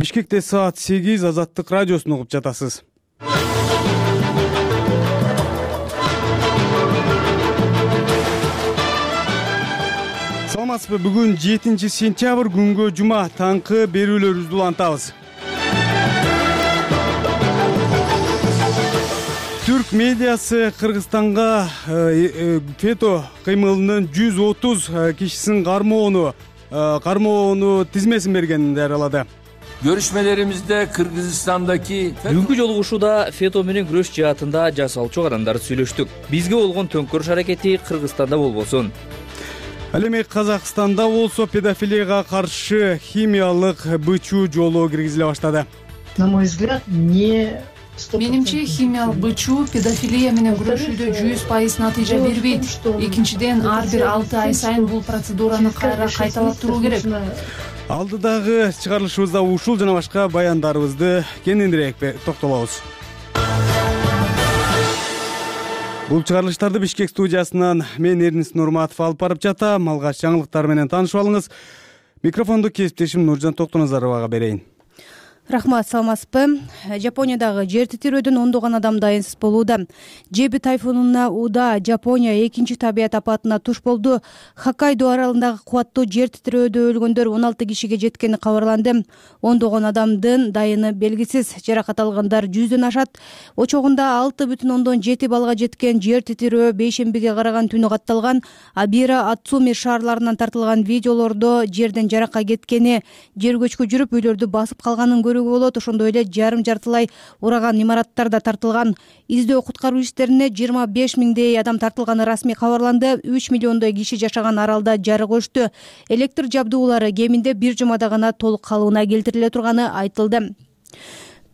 Бишкекте саат 8 Азаттык радиосун угуп жатасыз. Саламатсызбы? Бүгүн 7-сентябрь күнгө жума таңкы берүүлөрүбүздү улантабыз. Түрк медиасы Кыргызстанга фето кыймылынын 130 кишисин кармоону тизмесин бергенин жарыялады. Görüşmelerimizde Kırgızistan'daki Бүгүнкү жолугушууда фето менен күрөш жаатында жасалчу кадамдарды сүйлөштүк. Бизге болгон төңкөрүш аракети Кыргызстанда болбосун. Ал эми Казакстанда болсо педофилияга каршы химиялык бычуу жолу киргизиле баштады. На мой взгляд, Менимче, химиялык бычуу педофилия менен күрөшүүдө 100% натыйжа бербейт. Экинчиден, ар бир 6 ай сайын бул процедураны кайталап туруу керек. Алдыдагы чыгарылышыбызда ушул жана башка баяндарыбызды кененирээк токтолобуз. Бул чыгарылыштарды Бишкек студиясынан мен Эрнис Нурматов алып барып жатам. Алгач жаңылыктар менен таанышып алыңыз. Микрофонду кесиптешим Нуржан Токтоназаровага берейин. Рахмат, саламатсызбы? Жапониядагы жер титирөөдөн ондогон адам дайынсыз болууда. Жеби тайфунуна ууда Жапония экинчи табият апатына туш болду. Хоккайдо аралындагы кубаттуу жер титирөөдө өлгөндөр 16 кишиге жеткени кабарланды. Ондогон адамдын дайыны белгисиз. Жаракат алгандар 100дөн ашат. Очогунда 6,7 балга жеткен жер титирөө бейшембиге караган түнү катталган. Абира, Ацуми шаарларынан тартылган видеолордо жерден жаракка кеткени, жер көчкү жүрүп үйлөрдү басып калганын көрүүгө болот. Ошондой эле жарым-жартылай ураган имараттар да тартылган. Издөө куткаруу иштерине 25 миңдей адам тартылганы расмий кабарланды. 3 миллиондой киши жашаган аралда жарык өчтү. Электр жабдуулары кеминде бир жумада гана толук калыбына келтириле турганы айтылды.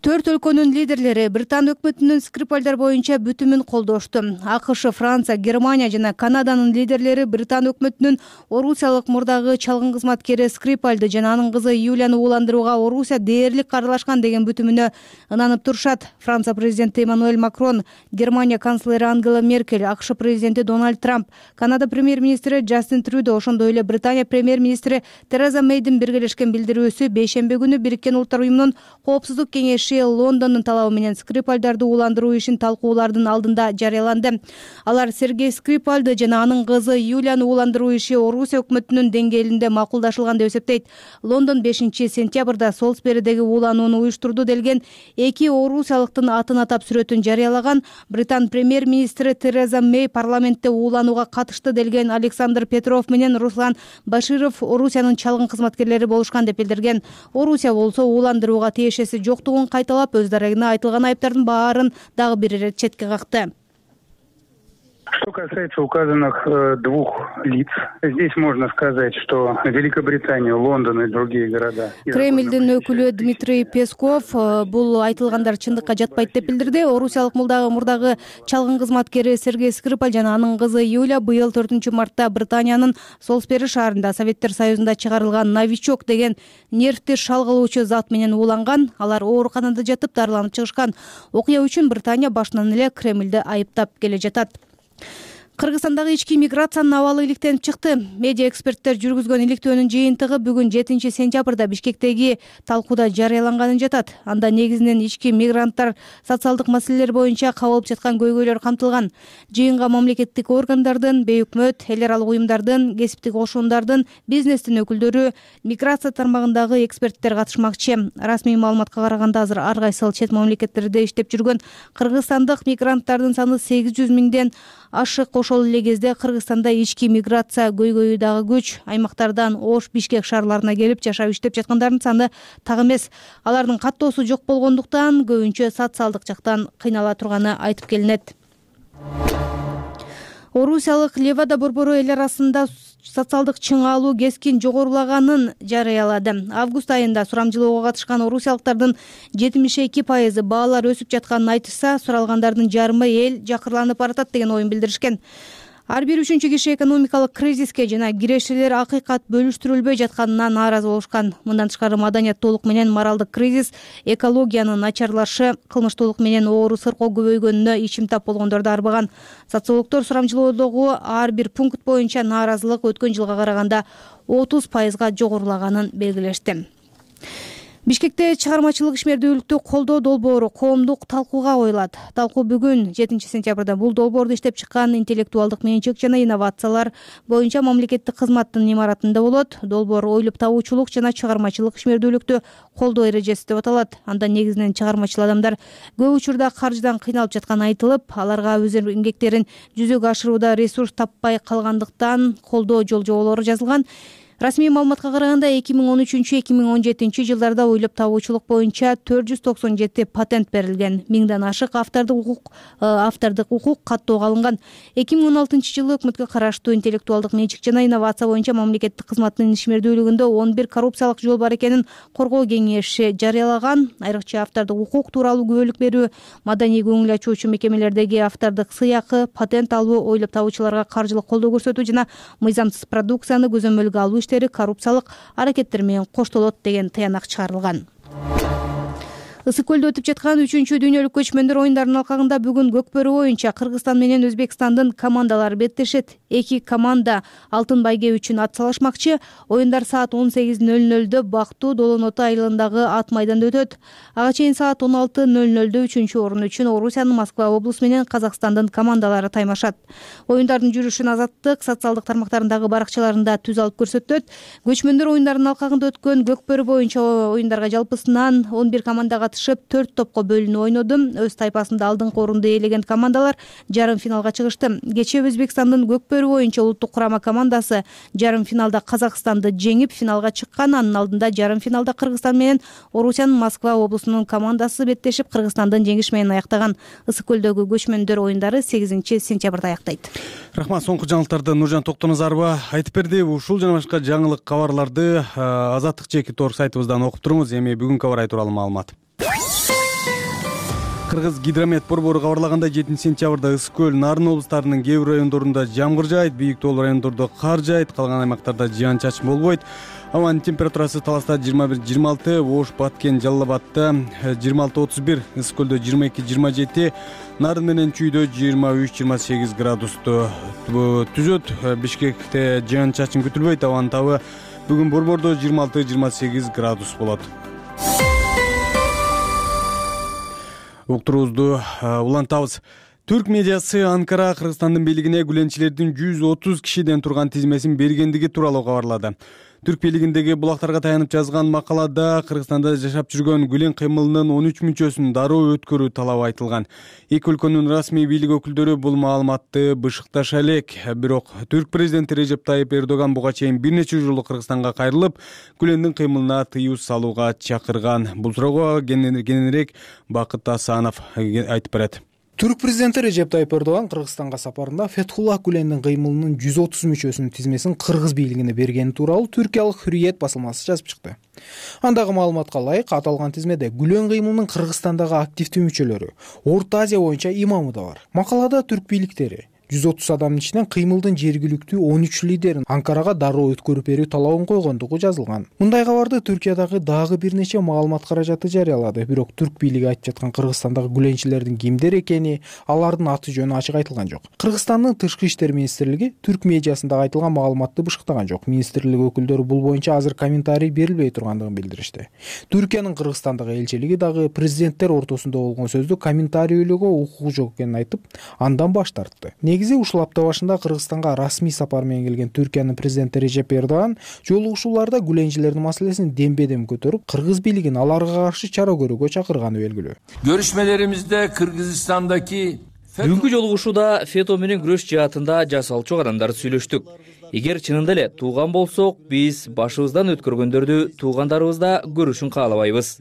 4 өлкөнүн лидерлери Британ өкмөтүнүн Скрипальдар боюнча бүтүмүн колдошту. АКШ, Франция, Германия жана Канаданын лидерлери Британ өкмөтүнүн орусиялык мурдагы чалгын кызматкери Скрипальды жана анын кызы Юлияны ууландырууга Орусия дээрлик аралашкан деген бүтүмүнө ынанып турушат. Франция президенти Эммануэль Макрон, Германия канцлери Ангела Меркель, АКШ президенти Дональд Трамп, Канада премьер-министри Джастин Трюдо, ошондой эле Британия премьер-министри Тереза Мейдин биргелешкен билдирүүсү бейшемби күнү Бириккен Улуттар уюмунун Коопсуздук кеңеши Лондондун талабы менен Скрипальдарды ууландыруу ишин талкуулардын алдында жарыяланды. Алар Сергей Скрипальды жана анын кызы Юлияны ууландыруу иши Орусия өкмөтүнүн деңгээлинде макулдашылган деп эсептейт. Лондон 5-сентябрда Солсберидеги ууланууну уюштурду делген эки орусиялыктын атын атап сүрөтүн жарыялаган. Британ премьер-министри Тереза Мей парламентте ууланууга катышты делген Александр Петров менен Руслан Баширов Орусиянын чалгын кызматкерлери болушкан деп билдирген. Орусия болсо ууландырууга тиешеси жоктугун кайталап, өз дарегине айтылган айыптардын баарын дагы бир ирет четке какты. Что касается указанных двух лиц, здесь можно сказать, что Великобритания, Лондон и другие города. Кремлдин өкүлү Дмитрий Песков бул айтылгандар чындыкка жатпайт деп билдирди. Орусиялык мурдагы чалгын кызматкери Сергей Скрипаль жана анын кызы Юлия быйыл 4-мартта Британиянын Солсбери шаарында Советтер Союзунда чыгарылган новичок деген нервти шалгылоочу зат менен ууланган. Алар ооруканада жатып дарыланып чыгышкан. Окуя үчүн Британия башынан эле Кремлди айыптап келе жатат. Кыргызстандагы ички миграциянын абалы иликтенип чыкты. Медиа эксперттер жүргүзгөн иликтөөнүн жыйынтыгы бүгүн 7-сентябрда Бишкектеги талкууда жарыяланганын жатат. Анда негизинен ички мигранттар социалдык маселелер боюнча кабылып жаткан көйгөйлөр камтылган. Жыйынга мамлекеттик органдардын, бейөкмөт, эл аралык уюмдардын, кесиптик кошуундардын, бизнестин өкүлдөрү, миграция тармагындагы эксперттер катышмакчы. Расмий маалыматка караганда азыр ар кайсыл чет мамлекеттерде иштеп жүргөн кыргызстандык мигранттардын саны 800 миңден ашык. Ошол эле кезде Кыргызстанда ички миграция көйгөйү дагы күч. Аймактардан Ош, Бишкек шаарларына келип жашап иштеп жаткандардын саны так эмес. Алардын каттоосу жок болгондуктан көбүнчө социалдык жактан кыйнала турганы айтып келинет. Орусиялык Левада борбору эл арасында социалдык чыңалуу кескин жогорулаганын жарыялады. Август айында сурамжылоого катышкан орусиялыктардын 72% баалар өсүп жатканын айтышса, суралгандардын жарымы эл жакырланып баратат деген оюн билдиришкен. Ар бир үчүнчү киши экономикалык кризиске жана кирешелер акыйкат бөлүштүрүлбөй жатканына нааразы болушкан. Мындан тышкары маданияттуулук менен моралдык кризис, экологиянын начарлашы, кылмыштуулук менен оору сыркоо көбөйгөнүнө ичим тап болгондорду арбаган. Социологдор сурамжылоодогу ар бир пункт боюнча нааразылык өткөн жылга караганда 30%га жогорулаганын белгилешти. Бишкекте чыгармачылык ишмердүүлүктү колдоо долбоору коомдук талкууга коюлат. Талкуу бүгүн 7 сентябрда бул долбоорду иштеп чыккан интеллектуалдык менчик жана инновациялар боюнча мамлекеттик кызматтын имаратында болот. Долбоор ойлоп табуучулук жана чыгармачылык ишмердүүлүктү колдоо эрежеси деп аталат. Анда негизинен чыгармачыл адамдар көп учурда каржыдан кыйналып жатканы айтылып, аларга өз эмгектерин жүзөгө ашырууда ресурс таппай калгандыктан колдоо жол-жоболору жазылган. Расмий маалыматка караганда 2013-2017 жылдарда ойлоп табуучулук боюнча 497 патент берилген, 1000ден ашык автордук укук каттоого алынган. 2016 жылы өкмөткө караштуу интеллектуалдык менчик жана инновация боюнча мамлекеттик кызматтын ишмердүүлүгүндө 11 коррупциялык жол бар экенин коргоо кеңеши жарыялаган. Айрыкча автордук укук тууралуу күбөлүк берүү, маданий көңүл ачуучу мекемелердеги автордук сыйакы, патент алуу, ойлоп табуучуларга каржылык колдоо көрсөтүү жана мыйзамсыз продукцияны көзөмөлгө алуу иштери коррупциялык аракеттер менен коштолот деген тыянак чыгарылган. Ысык көлдө өтүп жаткан 3-дүйнөлүк көчмөндөр оюндарынын алкагында бүгүн көкбөрү боюнча Кыргызстан менен Өзбекстандын командалары беттешет. Эки команда алтын байге үчүн ат салышмакчы. Оюндар саат 18:00 Бактуу Долоноту айылындагы ат майданда өтөт. Ага чейин саат 16:00 3 орун үчүн Орусиянын Москва облусу менен Казакстандын командалары таймашат. Оюндардын жүрүшүн Азаттык социалдык тармактарындагы баракчаларында түз алып көрсөтөт. Көчмөндөр оюндарынын алкагында өткөн көкбөрү боюнча оюндарга жалпысынан 11 команда катышып 4 топко бөлүнүп ойноду. Өз тайпасында алдыңкы орунду ээлеген командалар жарым финалга чыгышты. Кечээ Өзбекстандын көкбөрү боюнча улуттук курама командасы жарым финалда Казакстанды жеңип финалга чыккан. Анын алдында жарым финалда Кыргызстан менен Орусиянын Москва облусунун командасы беттешип Кыргызстандын жеңиши менен аяктаган. Ысык көлдөгү көчмөндөр оюндары 8 сентябрда аяктайт. Рахмат. Соңку жаңылыктарды Нуржан Токтоназарова айтып берди. Ушул жана башка жаңылык кабарларды Азаттык /org сайтыбыздан окуп туруңуз. Эми бүгүнкү кабар ай тууралуу маалымат. Кыргыз гидромет борбору кабарлагандай 7 сентябрда Ысык көл, Нарын облустарынын кээ бир райондорунда жамгыр жаайт, бийик тоолуу райондордо кар жаайт, калган аймактарда жаан чачын болбойт. Абанын температурасы Таласта 21-26, Ош, Баткен, Жалал Абадта 26-31, Ысык көлдө 22-27, Нарын менен Чүйдө 23-28 градусту түзөт. Бишкекте жаан чачын күтүлбөйт, абанын табы бүгүн борбордо 26-28 градус болот. Уктуруубузду улантабыз. Түрк медиасы Анкара Кыргызстандын бийлигине гүленчилердин 130 кишиден турган тизмесин бергендиги тууралуу кабарлады. Түрк бийлигиндеги булактарга таянып жазган макалада Кыргызстанда жашап жүргөн гүлен кыймылынын 13 мүчөсүн дароо өткөрүү талабы айтылган. Эки өлкөнүн расмий бийлик өкүлдөрү бул маалыматты бышыкташа элек. Бирок Түрк президенти Режеп Тайып Эрдоган буга чейин бир нече жолу Кыргызстанга кайрылып, гүлендин кыймылына тыюу салууга чакырган. Бул суроого кененирээк Бакыт Асанов айтып берет. Түрк президенти Режеп Тайып Эрдоган Кыргызстанга сапарында Фетхуллах Гүлендин кыймылынын 130 мүчөсүнүн тизмесин кыргыз бийлигине бергени тууралуу Түркиялык Hürriyet басылмасы жазып чыкты. Андагы маалыматка ылайык, аталган тизмеде Гүлен кыймылынын Кыргызстандагы активдүү мүчөлөрү, Орто Азия боюнча имамы да бар. Макалада түрк бийликтери 130 адамдын ичинен кыймылдын жергиликтүү 13 лидерин Анкарага дароо өткөрүп берүү талабын койгондугу жазылган. Мындай кабарды Түркиядагы дагы бир нече маалымат каражаты жарыялады. Бирок түрк бийлиги айтып жаткан Кыргызстандагы гүленчилердин кимдер экени, алардын аты жөнү ачык айтылган жок. Кыргызстандын Тышкы иштер министрлиги түрк медиасында айтылган маалыматты бышыктаган жок. Министрлик өкүлдөрү бул боюнча азыр комментарий берилбей тургандыгын билдиришти. Түркиянын Кыргызстандагы элчилиги дагы президенттер ортосунда болгон сөздү комментарийлөөгө укугу жок экенин айтып, андан баш тартты. Негизи ушул апта башында Кыргызстанга расмий сапар менен келген Түркиянын президенти Режеп Эрдоган жолугушууларда гүленчилердин маселесин дембедем көтөрүп, кыргыз бийлигин аларга каршы чара көрүүгө чакырганы белгилүү. Görüşmelerimizde Kırgızistan'daki Бүгүнкү жолугушууда фето менен күрөш жаатында жасалчу адамдар сүйлөштүк. Эгер чынында эле тууган болсок, биз башыбыздан өткөргөндөрдү туугандарыбызда көрүшүн каалабайбыз.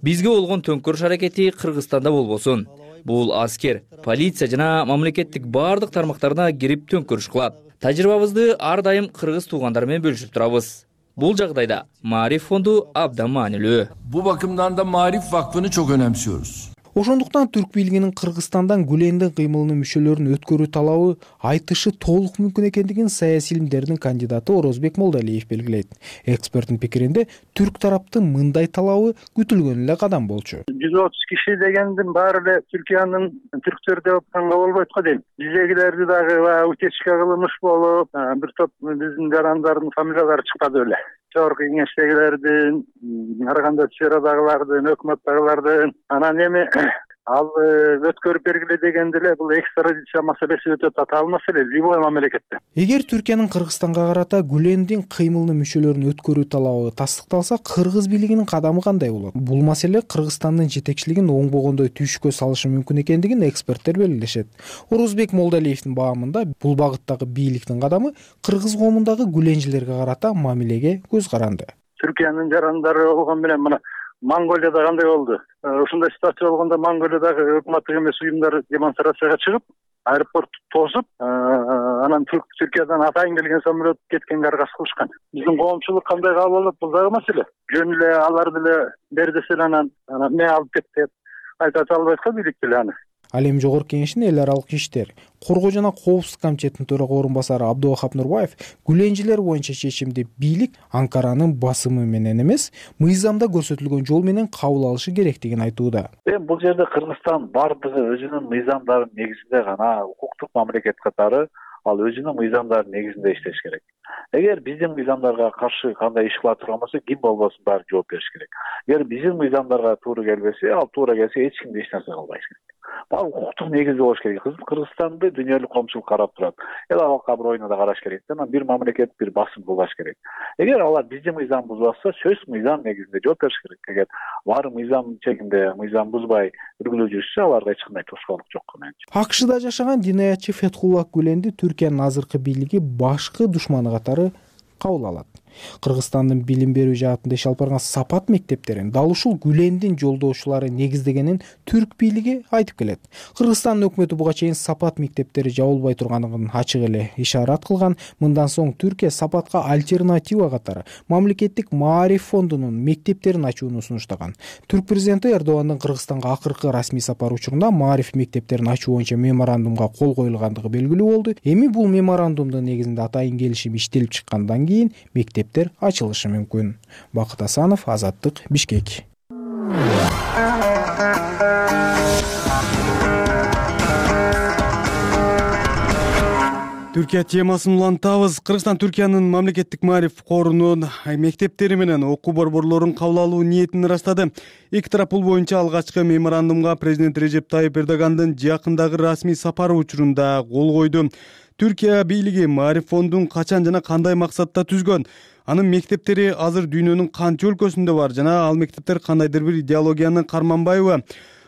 Бизге болгон төңкөрүш аракети Кыргызстанда болбосун. Бул аскер, полиция жана мамлекеттик баардык тармактарына кирип төңкөрүш кылат. Тажрыйбабызды ар дайым кыргыз туугандар менен бөлүшүп турабыз. Бул жагдайда Маариф фонду абдан маанилүү. bu bakımdan da Marif Vakfı'nı çok önemsiyoruz. Ошондуктан түрк бийлигинин Кыргызстандан Гүлендин кыймылынын мүчөлөрүн өткөрүү талабы айтышы толук мүмкүн экендигин саясий илимдердин кандидаты Орозбек Молдалиев белгилейт. Эксперттин пикиринде түрк тараптын мындай талабы күтүлгөн эле кадам болчу. 130 киши дегендин баары эле Түркиянын түрктөр деп атканга болбойт го дейм. Биздегилерди дагы утечка кылыныш болуп, бир топ биздин жарандардын фамилиялары чыкпады беле. Жогорку кеңештегилердин, Караганда сферадагылардын, өкмөттөгүлөрдүн, анан эми ал өткөрүп бергиле дегенде эле бул экстрадиция маселеси өтө татаал маселе любой мамлекетте. Эгер Түркиянын Кыргызстанга карата Гүлендин кыймылынын мүчөлөрүн өткөрүү талабы тастыкталса, Кыргыз бийлигинин кадамы кандай болот? Бул маселе Кыргызстандын жетекчилигин оңбогондой түшкө салышы мүмкүн экендигин эксперттер белгилешет. Орозбек Молдалиевдин баамында бул багыттагы бийликтин кадамы кыргыз коомундагы гүленчилерге карата мамилеге көз каранды. Түркиянын жарандары болгон менен мына Монголияда кандай болду? Ушундай ситуация болгондо Монголиядагы өкмөттүк эмес уюмдар демонстрацияга чыгып, аэропортту тосуп, анан Түркиядан атайын келген самолет кеткенге аргасыз кылышкан. Биздин коомчулук кандай кабыл алат? Бул дагы маселе. Жөн эле алар деле бер десе анан эмне алып кет деп айта албайт го бийлик деле аны. Ал эми Жогорку Кеңештин эл аралык иштер, коргоо жана коопсуздук комитетинин төрага орун басары Абдувахап Нурбаев гүленчилер боюнча чечимди бийлик Анкаранын басымы менен эмес, мыйзамда көрсөтүлгөн жол менен кабыл алышы керектигин айтууда. Бул жерде Кыргызстан бардыгы өзүнүн мыйзамдарынын негизинде гана укуктук мамлекет катары ал өзүнүн мыйзамдарынын негизинде иштеш керек. Эгер биздин мыйзамдарга каршы кандай иш кыла турган болсо, ким болбосун баары жооп бериш керек. Эгер биздин мыйзамдарга туура келбесе, ал туура келсе эч ким эч нерсе кылбайт. Бул укуктук негизде болуш керек. Кыргызстанды дүйнөлүк коомчулук карап турат. Эл аралык аброюна да караш керек. Анан бир мамлекет бир басым кылбаш керек. Эгер алар биздин мыйзам бузбаса, сөзсүз мыйзам негизинде жооп бериш керек. Эгер баары мыйзам чегинде, мыйзам бузбай үргүлөп жүрүшсө, аларга эч кандай тоскоолдук жок менчи. АКШда жашаган динаятчы Фетхуллах Гүленди Түркиянын азыркы бийлиги башкы душманы катары кабыл алат. Кыргызстандын билим берүү жаатында иш алып барган Сапат мектептерин дал ушул Гүлендин жолдошулары негиздегенин түрк бийлиги айтып келет. Кыргызстандын өкмөтү буга чейин Сапат мектептери жабылбай турганын ачык эле ишарат кылган. Мындан соң Түркия Сапатка альтернатива катары мамлекеттик Маариф фондунун мектептерин ачууну сунуштаган. Түрк президенти Эрдогандын Кыргызстанга акыркы расмий сапары учурунда Маариф мектептерин ачуу боюнча меморандумга кол коюлгандыгы белгилүү болду. Эми бул меморандумдун негизинде атайын келишим иштелип чыккандан кийин мектептер ачылышы мүмкүн. Бакыт Асанов, Азаттык, Бишкек. Түркия темасын улантабыз. Кыргызстан Түркиянын мамлекеттик Маариф корунун мектептери менен окуу борборлорун кабыл алуу ниетин ырастады. Эки тарап бул боюнча алгачкы меморандумга президент Режеп Тайип Эрдогандын жакындагы расмий сапары учурунда кол койду. Түркия бийлиги Маариф фондун качан жана кандай максатта түзгөн? Анын мектептери азыр дүйнөнүн канча өлкөсүндө бар жана ал мектептер кандайдыр бир идеологияны карманбайбы?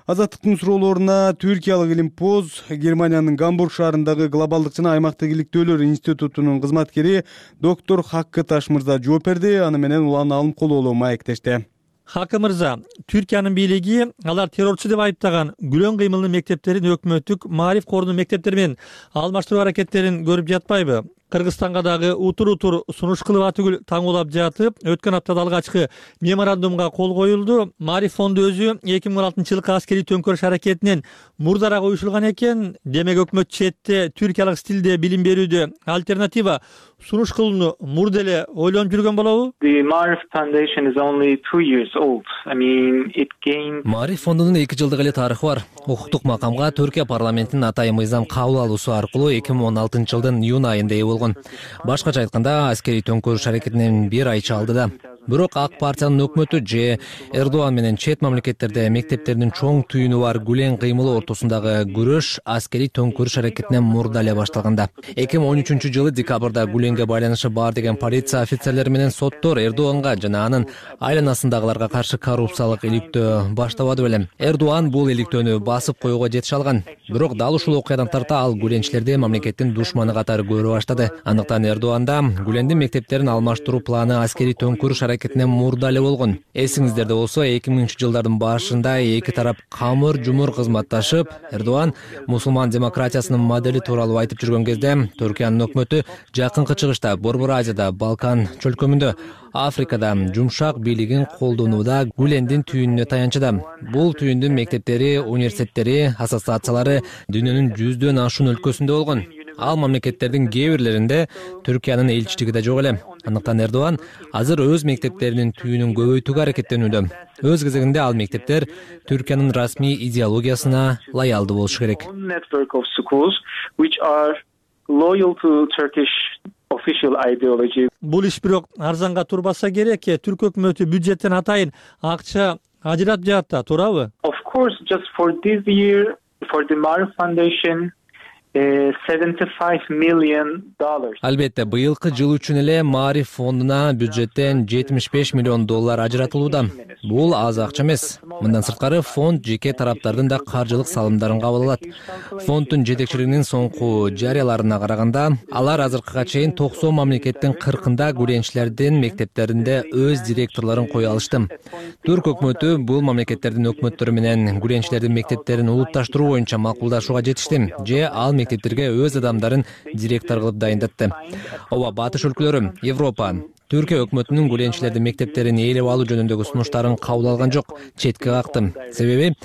Азаттыктын суроолоруна түркиялык Илимпоз Германиянын Гамбург шаарындагы глобалдык жана аймактык иликтөөлөр институтунун кызматкери доктор Хаккы Таш мырза жооп берди. Аны менен улан алым кололу маектешти. Хакы мырза, Түркиянын бийлиги алар террорчу деп айыптаган Гүлен кыймылынын мектептерин өкмөттүк Маариф корунун мектептери менен алмаштыруу аракеттерин көрүп жатпайбы? Кыргызстанга дагы утур сунуш кылып атүгүл таңуулап жатып, өткөн аптада алгачкы меморандумга кол коюлду. Маариф фонду өзү 2016 жылкы аскерий төңкөрүш аракетинен мурдараак уюшулган экен. Демек өкмөт четте түркиялык стилде билим берүүдө альтернатива сунуш кылууну мурда эле ойлонуп жүргөн болобу? Маариф фондунун 2 жылдык эле тарыхы бар. Укуктук макамга Түркия парламентинин атайын мыйзам кабыл алуусу аркылуу 2016 жылдын июнь айында ээ болгон. Башкача айтканда, аскерий төңкөрүш аракетинен 1 ай чалды да. Бирок ак партиянын өкмөтү же Эрдоган менен чет мамлекеттерде мектептердин чоң түйүнү бар Гүлен кыймылы ортосундагы күрөш аскерий төңкөрүш аракетинен мурда эле башталганда. 2013 жылы декабрда Гүленге байланышы бар деген полиция офицерлери менен соттор Эрдоганга жана анын айланасындагыларга каршы коррупциялык иликтөө баштабады белем. Эрдоган бул иликтөөнү басып коюуга жетише алган. Бирок дал ушул окуядан тарта ал гүленчилерди мамлекеттин душманы катары көрө баштады. Андыктан Эрдоганда Гүлендин мектептерин алмаштыруу планы аскерий төңкөрүш аракетине мурда эле болгон. Эсиңиздерде болсо 2000-жылдардын башында эки тарап камыр-жумур кызматташып, Эрдоган мусулман демократиясынын модели тууралуу айтып жүргөн кезде Түркиянын өкмөтү Жакынкы Чыгышта, Борбор Азияда, Балкан чөлкөмүндө, Африкада жумшак бийлигин колдонууда Гүлендин түйүнүнө таянчыда. Бул түйүндүн мектептери, университеттери, ассоциациялары дүйнөнүн 100дөн ашуун өлкөсүндө болгон. Ал мамлекеттердин кээ бирлеринде Түркиянын элчилиги да жок эле. Андыктан Эрдоган азыр өз мектептеринин түйүнүн көбөйтүүгө аракеттенүүдө. Өз кезегинде ал мектептер Түркиянын расмий идеологиясына лоялдуу болушу керек. Бул иш бирок арзанга турбаса керек. Түрк өкмөтү бюджеттен атайын акча ажыратып жатат, туурабы? Of course, just for this year, for the Maarif Foundation, $75 million. Албетте, быйылкы жыл үчүн эле Маариф фондуна бюджеттен $75 миллион ажыратылууда. Бул аз акча эмес. Мындан сырткары фонд жеке тараптардын да каржылык салымдарын кабыл алат. Фонддун жетекчилигинин соңку жарыяларына караганда, алар азыркыга чейин 90 мамлекеттин 40-ында гүленчилердин мектептеринде өз директорлорун кое алышты. Түрк өкмөтү бул мамлекеттердин өкмөттөрү менен гүленчилердин мектептерин улутташтыруу боюнча макулдашууга жетишти. Же ал мектептерге өз адамдарын директор кылып дайындатты. Ооба, батыш өлкөлөрү, Европа, Түркия өкмөтүнүн гүленчилердин мектептерин ээлеп алуу жөнүндөгү сунуштарын кабыл алган жок, четке какты. Себеби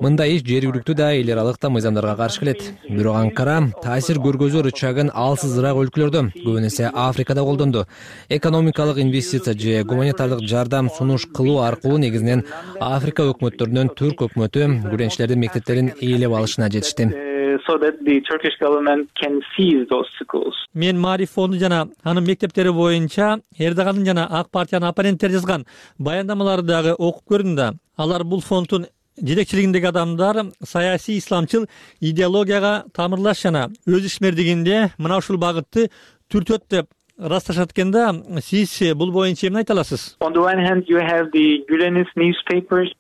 мындай иш жергиликтүү да эл аралык да мыйзамдарга каршы келет. Бирок Анкара таасир көргөзүү рычагын алсызыраак өлкөлөрдө, көбүн эсе Африкада колдонду. Экономикалык инвестиция же гуманитардык жардам сунуш кылуу аркылуу негизинен Африка өкмөттөрүнөн Түрк өкмөтү гүленчилердин мектептерин ээлеп алышына жетишти. So that the Turkish government can seize those schools. Мен Маариф фонду жана анын мектептери боюнча Эрдогандын жана ак партиянын оппоненттери жазган баяндамаларды дагы окуп көрдүм да. Алар бул фонддун жетекчилигиндеги адамдар саясий исламчыл идеологияга тамырлаш жана өз ишмердигинде мына ушул багытты түртөт деп ырасташат экен да. Сиз бул боюнча эмне айта аласыз? On the one hand, you have the Gülenist newspapers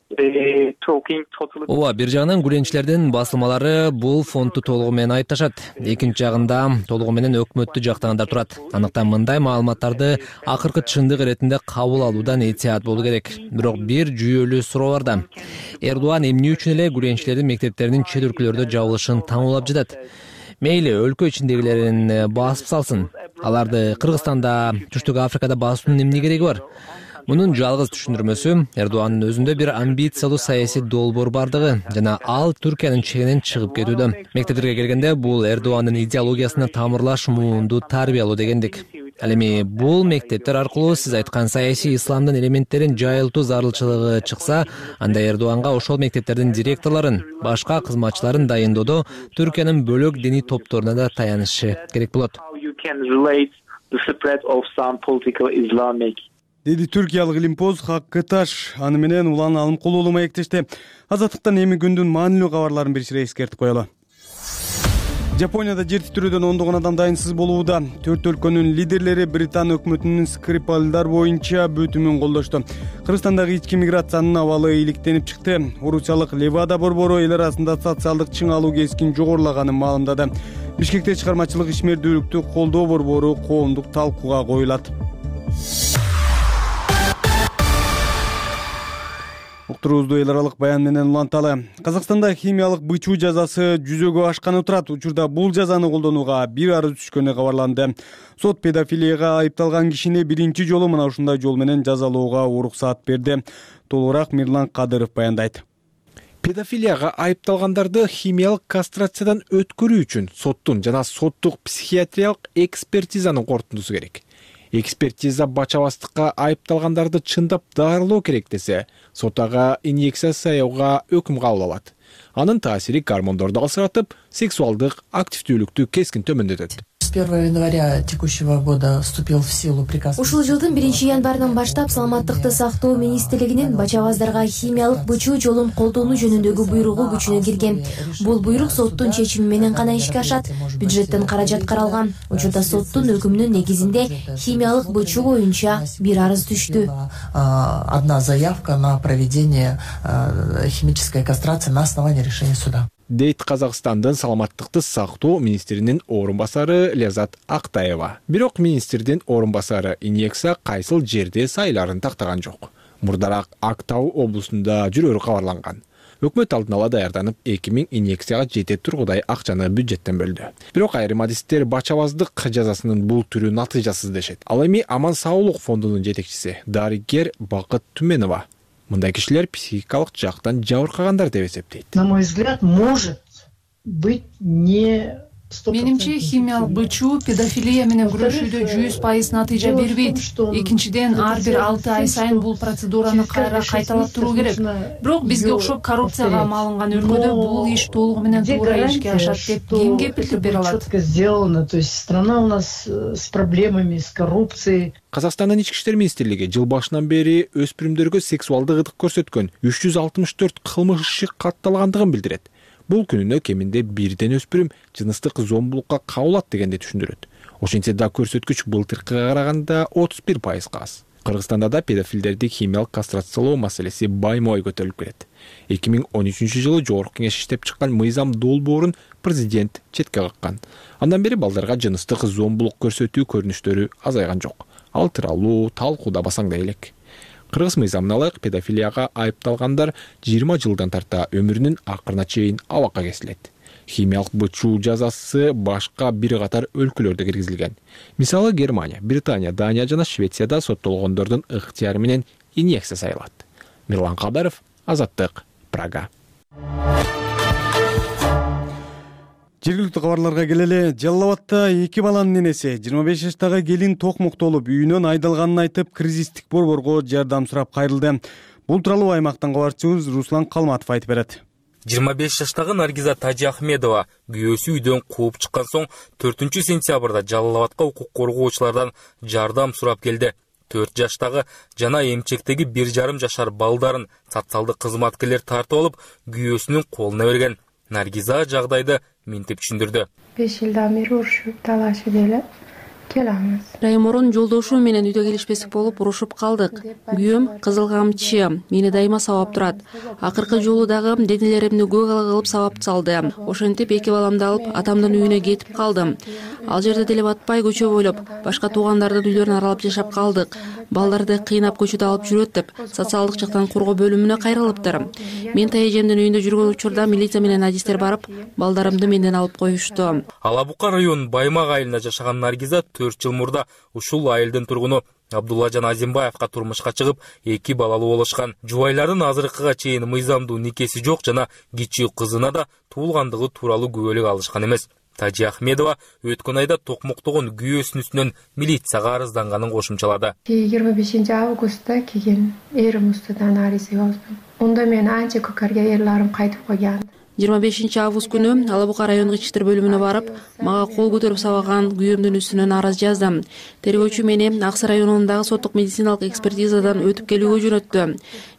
talking totally. Ооба, бир жагынан гүленчилердин басылмалары бул фондду толугу менен айыпташат. Экинчи жагында толугу менен өкмөттү жактагандар турат. Андыктан мындай маалыматтарды акыркы чындык иретинде кабыл алуудан этият болуу керек. Бирок бир жүйөлүү суроо бар да. Эрдоган эмне үчүн эле гүленчилердин мектептеринин чет өлкөлөрдө жабылышын таңуулап жатат? Мейли өлкө ичиндегилерин басып салсын. Аларды Кыргызстанда, Түштүк Африкада басуунун эмне кереги бар? Мунун жалгыз түшүндүрмөсү Эрдогандын өзүндө бир амбициялуу саясий долбоор бардыгы жана ал Түркиянын чегинен чыгып кетүүдө. Мектептерге келгенде бул Эрдогандын идеологиясына тамырлаш муунду тарбиялоо дегендик. Ал эми бул мектептер аркылуу сиз айткан саясий исламдын элементтерин жайылтуу зарылчылыгы чыкса, анда Эрдоганга ошол мектептердин директорлорун, башка кызматчыларын дайындоодо Түркиянын бөлөк диний топторуна да таянышы керек болот. Деди түркиялык илимпоз Хаккы Таш. Аны менен Улан Алымкулуу маектешти. Азаттыктан эми күндүн маанилүү кабарларын бир сире эскертип коелу. Жапонияда жер титирөөдөн ондогон адам дайынсыз болууда. 4 өлкөнүн лидерлери Британ өкмөтүнүн Скрипалдар боюнча бөтүмүн колдошту. Кыргызстандагы ички миграциянын абалы иликтенип чыкты. Орусиялык Левада борбору эл арасында социалдык чың алуу кескин жогорулаганын маалымдады. Бишкекте чыгармачылык ишмердүүлүктү колдоо борбору коомдук талкууга коюлат. Уктуруубузду эл аралык баян менен уланталы. Казакстанда химиялык бычуу жазасы жүзөгө ашканы турат. Учурда бул жазаны колдонууга бир арыз түшкөнү кабарланды. Сот педофилияга айыпталган кишини биринчи жолу мына ушундай жол менен жазалоого уруксаат берди. Толугураак Мирлан Кадыров баяндайт. Педофилияга айыпталгандарды химиялык кастрациядан өткөрүү үчүн соттун жана соттук психиатриялык экспертизанын корутундусу керек. Экспертиза бачабастыкка айыпталгандарды чындап дарылоо керек десе, сот ага инъекция саяууга өкүм кабыл алат. Анын таасири гормондорду алсыратып, сексуалдык активдүүлүктү кескин төмөндөтөт. С 1 января текущего года вступил в силу приказ. Ушул жылдын 1 январынан баштап Саламаттыкты сактоо министрлигинин бачабаздарга химиялык бычуу жолун колдонуу жөнүндөгү буйругу күчүнө кирген. Бул буйрук соттун чечими менен гана ишке ашат. Бюджеттен каражат каралган. Учурда соттун өкүмүнүн негизинде химиялык бычуу боюнча бир арыз түштү. Одна заявка на проведение химической кастрации на основании решения суда. дейт Казакстандын саламаттыкты сактоо министринин орун басары Ляззат Актаева. Бирок министрдин орун басары инъекция кайсыл жерде сайларын тактаган жок. Мурдараак Актау облусунда жүрөрү кабарланган. Өкмөт алдын ала даярданып 2000 инъекцияга жетет тургудай акчаны бюджеттен бөлдү. Бирок айрым адистер бачабаздык жазасынын бул түрү натыйжасыз дешет. Ал эми Аман Саулык фондунун жетекчиси дарыгер Бакыт Түменова мындай кишилер психикалык жактан жабыркагандар деп эсептейт. На мой взгляд, может быть не Менимче химиялык бычуу педофилия менен күрөшүүдө 100% натыйжа бербейт. Экинчиден, ар бир 6 ай сайын бул процедураны кайра кайталап туруу керек. Бирок бизге окшоп коррупцияга малынган өлкөдө бул иш толугу менен туура ишке ашат деп ким кепилдик бере алат? Четко сделано, то есть страна у нас с проблемами, с коррупцией. Казакстандын ички иштер министрлиги жыл башынан бери өспүрүмдөргө сексуалдык ыдык көрсөткөн 364 кылмыш иши катталгандыгын билдирет. Бул күнүнө кеминде бирден өспүрүм жыныстык зомбулукка кабылат дегенди түшүндүрөт. Ошентсе да көрсөткүч былтыркыга караганда 31% аз. Кыргызстанда да педофилдерди химиялык кастрациялоо маселеси баймой көтөрүлүп келет. 2013 жылы Жогорку Кеңеш иштеп чыккан мыйзам долбоорун президент четке каккан. Андан бери балдарга жыныстык зомбулук көрсөтүү көрүнүштөрү азайган жок. Ал тууралуу талкууда басаңдай элек. Кыргыз мыйзамына ылайык педофилияга айыпталгандар 20 жылдан тарта өмүрүнүн акырына чейин абакка кесилет. Химиялык бычуу жазасы башка бир катар өлкөлөрдө киргизилген. Мисалы Германия, Британия, Дания жана Швецияда соттолгондордун ыктыяры менен инъекция сайылат. Мирлан Кадаров, Азаттык, Прага. Жергиликтүү кабарларга келели. Жалал Абадта 2 баланын энеси 25 жаштагы келин токмуктолуп үйүнөн айдалганын айтып, кризистик борборго жардам сурап кайрылды. Бул тууралуу аймактан кабарчыбыз Руслан Калматов айтып берет. 25 жаштагы Наргиза Тажиахмедова күйөөсү үйдөн кууп чыккан соң 4 сентябрда Жалал Абадка укук коргоочулардан жардам сурап келди. 4 жаштагы жана эмчектеги 1,5 жашар балдарын социалдык кызматкерлер тартып алып, күйөөсүнүн колуна берген. Наргиза жагдайды минтип түшүндүрдү. 5 жылдан бери урушуп талашып эле келамыз. Раймордун жолдошу менен үйдө келишпестик болуп урушуп калдык. Күйөөм кызыл камчы, мени дайыма сабап турат. Акыркы жолу дагы денелеримди көк кылып сабап салды. Ошентип 2 баламды алып атамдын үйүнө кетип калдым. Ал жерде деле батпай көчө бойлоп, башка туугандардын үйлөрүн аралап жашап калдык. Балдарды кыйнап көчөдө алып жүрөт деп, социалдык жактан коргоо бөлүмүнө кайрылыптыр. Мен тайэжемдин үйүндө жүргөн учурда милиция менен адистер барып, балдарымды менден алып коюшту. Алабука районунун Баймак айылында жашаган Наргиза 4 жыл мурда ушул айылдын тургуну Абдуллажан Азимбаевка турмушка чыгып, 2 балалуу болушкан. Жубайлардын азыркыга чейин мыйзамдуу никеси жок жана кичүү кызына да туулгандыгы тууралуу күбөлүк алышкан эмес. Тажиахмедова өткөн айда токмуктогон күйөөсүнүн үстүнөн милицияга арызданганын кошумчалады. 25 августта келген эрим устудан арыз жаздым. Онда мен анча көкөргө эрлерим кайтып койгон. 25 август күнү Алабука райондук ички иштер бөлүмүнө барып, мага кол көтөрүп сабаган күйөөмдүн үстүнөн арыз жаздым. Тергөөчү мени Аксы районундагы соттук медициналык экспертизадан өтүп келүүгө жөнөттү.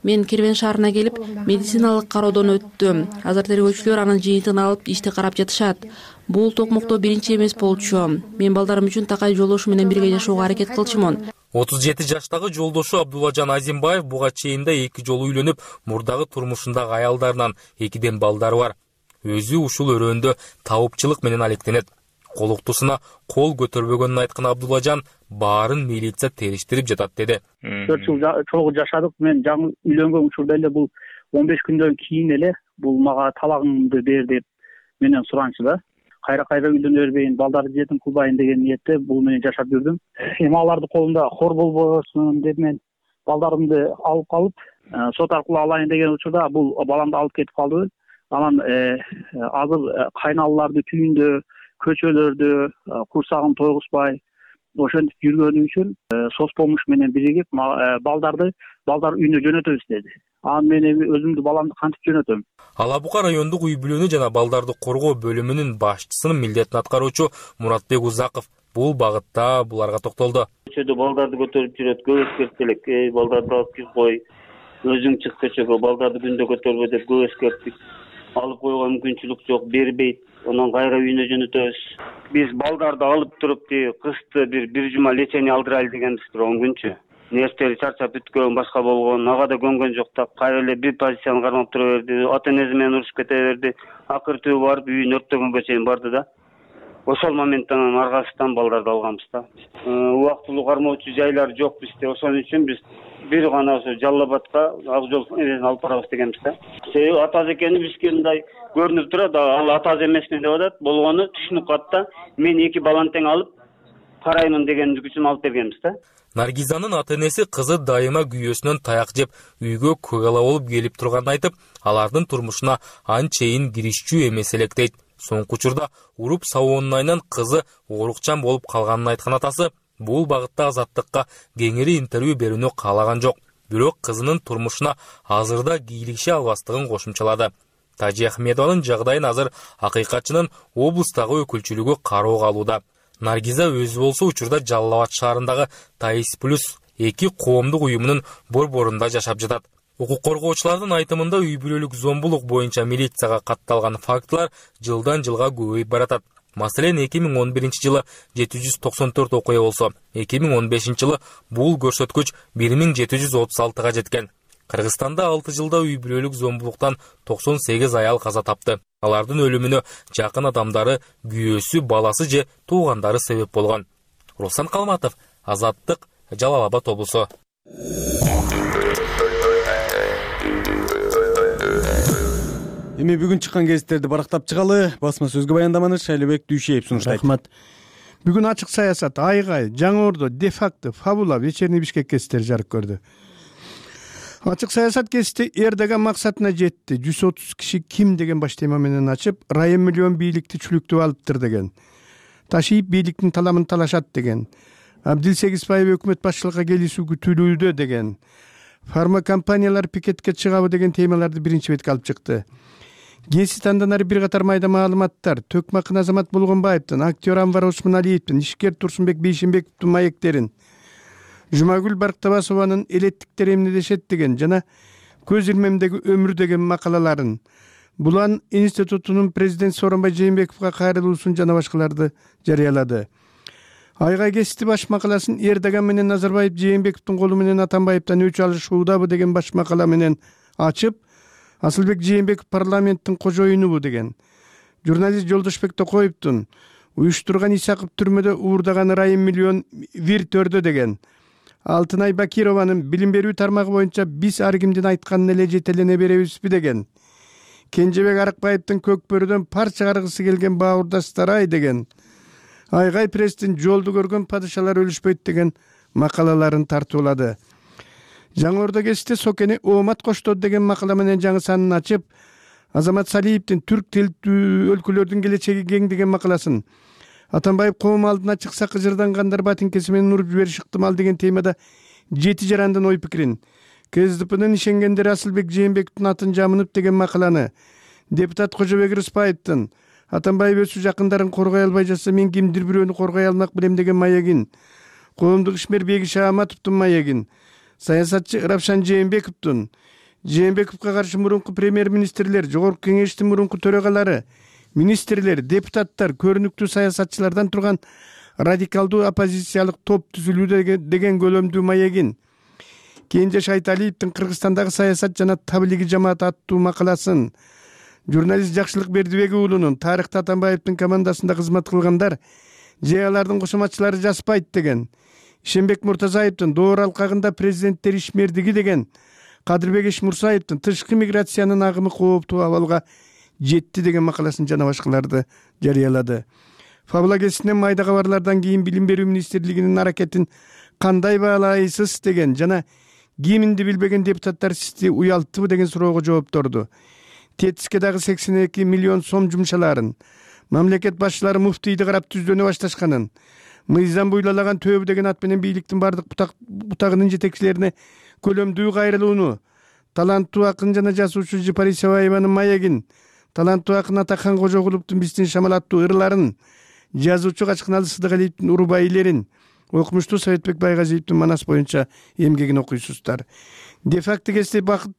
Мен Кербен шаарына келип, медициналык кароодон өттүм. Азыр тергөөчүлөр анын жыйынтыгын алып, ишти карап жатышат. Бул токмуктоо биринчи эмес болчу. Мен балдарым үчүн такай жолдошу менен бирге жашоого аракет кылчумун. 37 жаштагы жолдошу Абдуллажан Азимбаев буга чейин да 2 жолу үйлөнүп, мурдагы турмушундагы аялдарынан 2ден балдары бар. Өзү ушул өрөөндө табыпчылык менен алектенет. Колуктусуна кол көтөрбөгөнүн айткан Абдуллажан баарын милиция териштирип жатат деди. 4 жыл чогуу жашадык. Мен жаңы үйлөнгөн учурда эле бул 15 күндөн кийин эле бул мага талагыңды бер деп менен суранчу да. Кайра үйлөнө бербейин, балдарды жетим кылбайын деген ниетте бул менен жашап жүрдүм. Эми алардын колунда хор болбосун деп мен балдарымды алып калып, сот аркылуу алайын деген учурда бул баламды алып кетип калды. Анан азыр кайналаларды түйүндө, көчөлөрдө курсагын тойгузбай ошентип жүргөнү үчүн соцпомощь менен биригип балдар үйүнө жөнөтөбүз деди. Анан мен эми өзүмдү баламды кантип жөнөтөм? Алабука райондук үй бүлөнү жана балдарды коргоо бөлүмүнүн башчысынын милдетин аткаруучу Муратбек Узаков бул багытта буларга токтолду. Көчөдө балдарды көтөрүп жүрөт, көп эскерттелек. Балдарды алып кирип кой, өзүң чык көчөгө, балдарды күндө көтөрбө деп көп эскерттик. Алып койгон мүмкүнчүлүк жок, бербейт. Онан кайра үйүнө жөнөтөбүз. Биз балдарды алып туруп, кышты бир жума лечение алдырайлы дегенбиз, 10 күнчү. нервтери чарчап бүткөн, башка болгон, ага да көнгөн жок да. Кайра эле бир позицияны кармап тура берди. Ата энеси менен урушуп кете берди. Акыры түбү барып үйүн өрттөгөнгө чейин барды да. Ошол моменттен аргасынан балдарды алганбыз да. Убактылуу кармоочу жайлар жок бизде. Ошон үчүн биз бир гана ошо Жалал Абадка ак жол эмесин алып барабыз дегенбиз да. Себеби ата эже экени бизге мындай көрүнүп турат. Ал ата эже эмесмин деп атат. Болгону түшүнүп калат да. Мен эки баланы тең алып караймын дегендик үчүн алып бергенбиз да. Наргизанын ата энеси кызы дайыма күйөөсүнөн таяк жеп, үйгө көгала болуп келип турганын айтып, алардын турмушуна анчейин киришчү эмес элек дейт. Соңку учурда уруп сабоонун айынан кызы оорукчан болуп калганын айткан атасы бул багытта Азаттыкка кеңири интервью берүүнү каалаган жок. Бирок кызынын турмушуна азырда кийлигише албастыгын кошумчалады. Тажи Ахмедованын жагдайын азыр акыйкатчынын облустагы өкүлчүлүгү кароого алууда. Наргиза өзү болсо учурда Жалал Абад шаарындагы Таис Плюс 2 коомдук уюмунун борборунда жашап жатат. Укук коргоочулардын айтымында үй бүлөлүк зомбулук боюнча милицияга катталган фактылар жылдан жылга көбөйүп баратат. Маселен 2011 жылы 794 окуя болсо, 2015 жылы бул көрсөткүч 1736га жеткен. Кыргызстанда 6 жылда үй бүлөлүк зомбулуктан 98 аял каза тапты. Алардын өлүмүнө жакын адамдары, күйөөсү, баласы же туугандары себеп болгон. Руслан Калматов, Азаттык, Жалал Абад облусу. Эми бүгүн чыккан гезиттерди барактап чыгалы. Басма сөзгө баяндаманы Шайлебек Дүйшеев сунуштайт. Рахмат. Бүгүн ачык саясат, Айгай, Жаңы Ордо, де-факто, Фабула, Вечерний Бишкек гезиттери жарык көрдү. Ачык саясат гезити Эрдоган максатына жетти. 130 киши ким деген баш тема менен ачып, район миллион бийликти чүлүктүп алыптыр деген. Ташип бийликтин таламын талашат деген. Абдил Сегизбаев өкмөт башчылыкка келишүү күтүлүүдө деген. Фарма компаниялар пикетке чыгабы деген темаларды биринчи бетке алып чыкты. Гезит андан ары бир катар майда маалыматтар, Төкмакын Азамат Болгонбаевдин, актер Анвар Осмоналиевдин, ишкер Турсунбек Бейшенбековдун маектерин, Жумагүл Барктабасованын элеттиктер эмнедешет деген жана Көз илмемдеги өмүр деген макалаларын, Булан институтунун президент Сооронбай Жээнбековго кайрылуусун жана башкаларды жарыялады. Айгай гезити баш макаласын Эрдоган менен Назарбаев Жээнбековдун колу менен Атамбаевден өч алышуудабы деген баш макала менен ачып, Асылбек Жээнбеков парламенттин кожоюнубу деген. Журналист Жолдошбек Токоевдун уюштурган Исаков түрмөдө уурдаган райым миллион вир төрдө деген. Алтынай Бакированын билим берүү тармагы боюнча биз ар кимдин айтканын эле жетелене беребизби деген. Кенжебек Арыкбаевдин Көкбөрүдөн пар чыгаргысы келген бауырдастар деген. Айгай пресстин жолду көргөн падышалар өлүшпөйт деген макалаларын тартуулады. Жаңы Ордо гезити Сокени Оомат коштоо деген макала менен жаңы санын ачып, Азамат Салиевдин түрк тилдүү өлкөлөрдүн келечеги кең деген макаласын, Атамбаев коом алдына чыкса кыжырдангандар батинкеси менен уруп жибериши ыктымал деген темада жети жарандын ой пикирин, КСДПнын ишенгендери Асылбек Жээнбековдун атын жамынып деген макаланы, депутат Кожобек Рыспаевдин Атамбаев өз жакындарын коргой албай жатса мен кимдир бирөөнү коргой алмак билем деген маегин, коомдук ишмер Беги Шааматовдун маегин, саясатчы Равшан Жээнбековдун, Жээнбековго каршы мурунку премьер-министрлер, жогорку кеңештин мурунку төрагалары, министрлер, депутаттар, көрүнүктүү саясатчылардан турган радикалдуу оппозициялык топ түзүлүүдө деген көлөмдүү маегин, Кенже Айталиевдин Кыргызстандагы саясат жана таблиги жамаат аттуу макаласын, журналист Жакшылык Бердибек уулунун тарыхта Атамбаевдин командасында кызмат кылгандар же алардын кошоматчылары жазбайт деген, Ишенбек Муртазаевдин Доор алкагында президенттер ишмердиги деген, Кадырбек Эшмурсаевдин тышкы миграциянын агымы кооптуу абалга жетти деген макаласын жана башкаларды жарыялады. Фабула гезитинен майда кабарлардан кийин Билим берүү министрлигинин аракетин кандай баалайсыз деген жана киминди билбеген депутаттар сизди уялттыбы деген суроого жоопторду. Тетиске дагы 82 миллион сом жумшаларын, мамлекет башчылары муфтийди карап түздөнө башташканын, мыйзам буйлаган төбү деген ат менен бийликтин бардык бутагынын жетекчилерине көлөмдүү кайрылууну, таланттуу акын жана жазуучу Жапар Исабаеванын маегин, таланттуу акын Атакхан Кожогуловдун биздин шамалаттуу ырларын, жазуучу Качкыналы Сыдыгалиевдин урубайлерин, окумуштуу Советбек Байгазиевдин Манас боюнча эмгегин окуйсуздар. Де-факто гезити Бакыт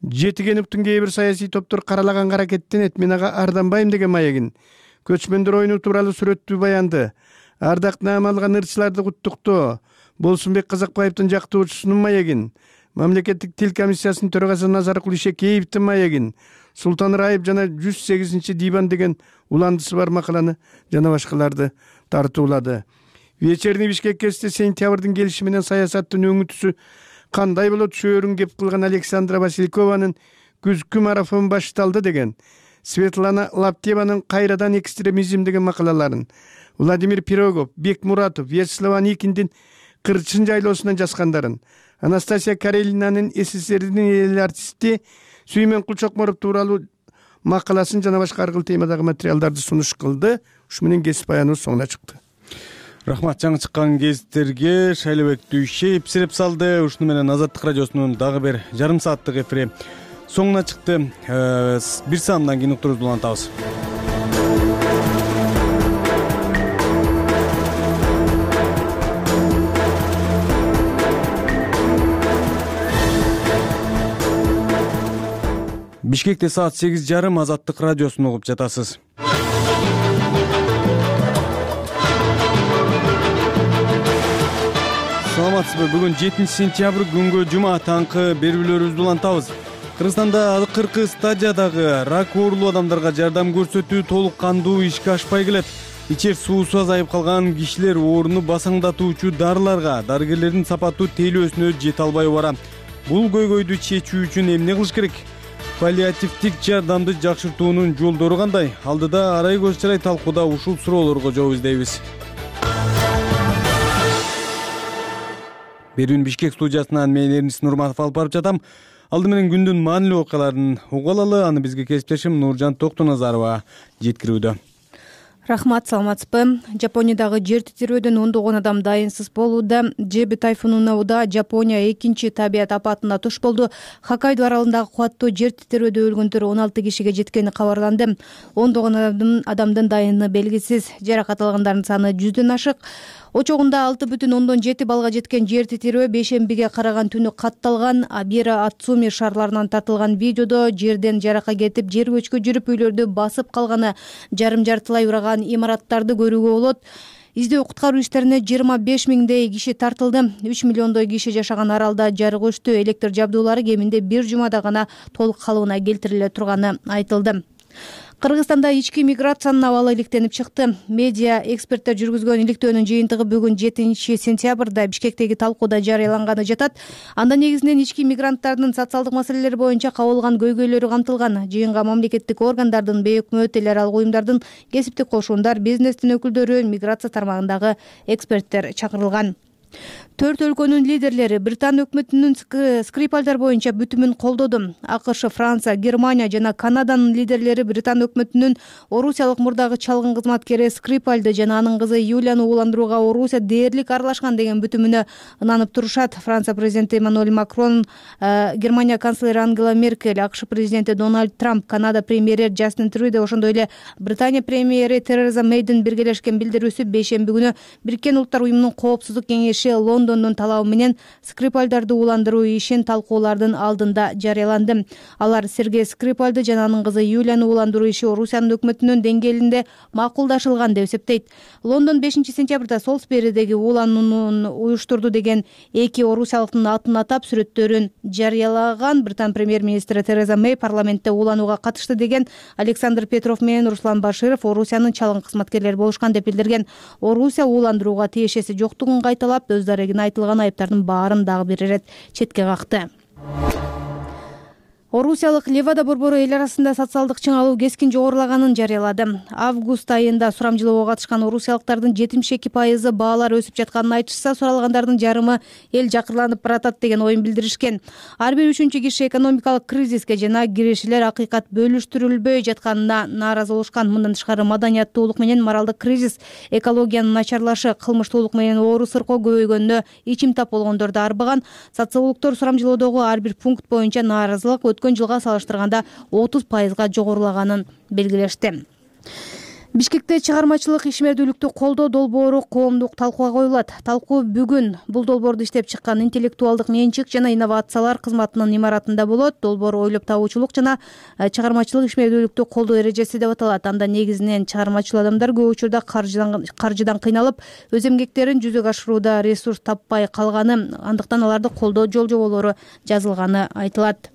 Жетигеновдун кээ бир саясий топтор каралаган аракеттенет, мен ага арданбайм деген маегин, көчмөндөр оюну тууралуу сүрөттүү баянды, ардактуу наам алган ырчыларды куттуктоо, Болсунбек Казакбаевдин жактоочусунун маегин, Мамлекеттик тил комиссиясынын төрагасы Назаркул Ишекеевдин маегин, Султан Раев жана 108 диван деген уландысы бар макаланы жана башкаларды тартуулады. Вечерний Бишкек гезити сентябрдын келиши менен саясаттын өңүтүсү кандай болот шөөрүн кеп кылган Александра Василькованын күзгү марафон башталды деген, Светлана Лаптеванын кайрадан экстремизм деген макалаларын, Владимир Пирогов, Бек Муратов, Вячеслав Аникиндин Кырчын жайлоосунан жазгандарын, Анастасия Карелинанын СССРдин эл артисти Сүймөн Кулчокморов тууралуу макаласын жана башка ар кыл темадагы материалдарды сунуш кылды. Ушу менен кесип баяныбыз соңуна чыкты. Рахмат, жаңы чыккан гезиттерге Шайлыбек Дүйшеев сирип салды. Ушуну менен Азаттык радиосунун дагы бир жарым сааттык эфири соңуна чыкты. Бир саамдан кийин уктурубузду улантабыз. Бишкекте саат 8:30 Азаттык радиосун угуп жатасыз. Саламатсызбы? Бүгүн 7 сентябрь күнгө жума таңкы берүүлөрүбүздү улантабыз. Кыргызстанда акыркы стадиядагы рак оорулуу адамдарга жардам көрсөтүү толук кандуу ишке ашпай келет. Ичер суусу азайып калган кишилер ооруну басаңдатуучу дарыларга, дарыгерлердин сапаттуу тейлөөсүнө жете албай бара. Бул көйгөйдү чечүү үчүн эмне кылыш керек? Паллиативдик жардамды жакшыртуунун жолдору кандай? Алдыда арай көз чарай талкууда ушул суроолорго жооп издейбиз. Берүүнү Бишкек студиясынан мен Эрнис Нурматов алып барып жатам. Алды менен күндүн маанилүү окуяларын угуп алалы. Аны бизге кесиптешим Нуржан Токтоназарова жеткирүүдө. Рахмат, саламатсызбы? Жапониядагы жер титирөөдөн ондогон адам дайынсыз болууда. Жеби тайфунуна уда Жапония экинчи табият апатына туш болду. Хоккайдо аралындагы кубаттуу жер титирөөдө өлгөндөр 16 кишиге жеткени кабарланды. Ондогон адамдын дайыны белгисиз. Жаракат алгандардын саны 100дөн ашык. Очогунда 6,7 балга жеткен жер титирөө бейшембиге караган түнү катталган. Абира Ацуми шаарларынан тартылган видеодо жерден жарака кетип, жер көчкө жүрүп үйлөрдү басып калганы, жарым-жартылай ураган имараттарды көрүүгө болот. Издөө куткаруу иштерине 25 миңдей киши тартылды. 3 миллиондой киши жашаган аралда жарык өчтү. Электр жабдуулары кеминде бир жумада гана толук калыбына келтириле турганы айтылды. Кыргызстанда ички миграциянын абалы иликтенип чыкты. Медиа эксперттер жүргүзгөн иликтөөнүн жыйынтыгы бүгүн 7 сентябрда Бишкектеги талкууда жарыяланганы жатат. Анда негизинен ички мигранттардын социалдык маселелер боюнча кабыл алган көйгөйлөрү камтылган. Жыйынга мамлекеттик органдардын, бейөкмөт эл аралык уюмдардын, кесиптик кошундар, бизнестин өкүлдөрү, миграция тармагындагы эксперттер чакырылган. 4 өлкөнүн лидерлери Британ өкмөтүнүн Скрипальдар боюнча бүтүмүн колдоду. АКШ, Франция, Германия жана Канаданын лидерлери Британ өкмөтүнүн орусиялык мурдагы чалгын кызматкери Скрипальды жана анын кызы Юлияны ууландырууга Орусия дээрлик аралашкан деген бүтүмүнө ынанып турушат. Франция президенти Эммануэль Макрон, Германия канцлери Ангела Меркель, АКШ президенти Дональд Трамп, Канада премьери Джастин Трюдо, ошондой эле Британия премьери Тереза Мейдин биргелешкен билдирүүсү бейшемби күнү Бириккен Улуттар уюмунун коопсуздук кеңеши Лондондун талабы менен Скрипальдарды ууландыруу ишин талкуулардын алдында жарыяланды. Алар Сергей Скрипальды жана анын кызы Юлияны ууландыруу иши Орусиянын өкмөтүнүн деңгээлинде макулдашылган деп эсептейт. Лондон 5 сентябрда Солсберидеги ууланууну уюштурду деген эки орусиялыктын атын атап сүрөттөрүн жарыялаган. Британ премьер-министри Тереза Мей парламентте ууланууга катышты деген Александр Петров менен Руслан Баширов Орусиянын чалгын кызматкерлери болушкан деп билдирген. Орусия ууландырууга тиешеси жоктугун кайталап, өз дарегине айтылган айыптардын баарын дагы бир ирет четке какты. Орусиялык Левада борбору эл арасында социалдык чыңалуу кескин жогорулаганын жарыялады. Август айында сурамжылоого катышкан орусиялыктардын 72% баалар өсүп жатканын айтышса, суралгандардын жарымы эл жакырланып баратат деген оюн билдиришкен. Ар бир үчүнчү киши экономикалык кризиске жана киришилер акыйкат бөлүштүрүлбөй жатканына нааразы болушкан. Мындан тышкары маданияттуулук менен моралдык кризис, экологиянын начарлашы, кылмыштуулук менен оору сыркоо көбөйгөнүнө ичим тап болгондорду арбаган. Социологдор сурамжылоодогу ар бир пункт боюнча нааразылык өткөн жылга салыштырганда 30%га жогорулаганын белгилешти. Бишкекте чыгармачылык ишмердүүлүктү колдоо долбоору коомдук талкууга коюлат. Талкуу бүгүн бул долбоорду иштеп чыккан интеллектуалдык менчик жана инновациялар кызматынын имаратында болот. Долбоор ойлоп табуучулук жана чыгармачылык ишмердүүлүктү колдоо эрежеси деп аталат. Анда негизинен чыгармачыл адамдар көп учурда каржыдан кыйналып, өз эмгектерин жүзөгө ашырууда ресурс таппай калганы, андыктан аларды колдоо жол жоболору жазылганы айтылат.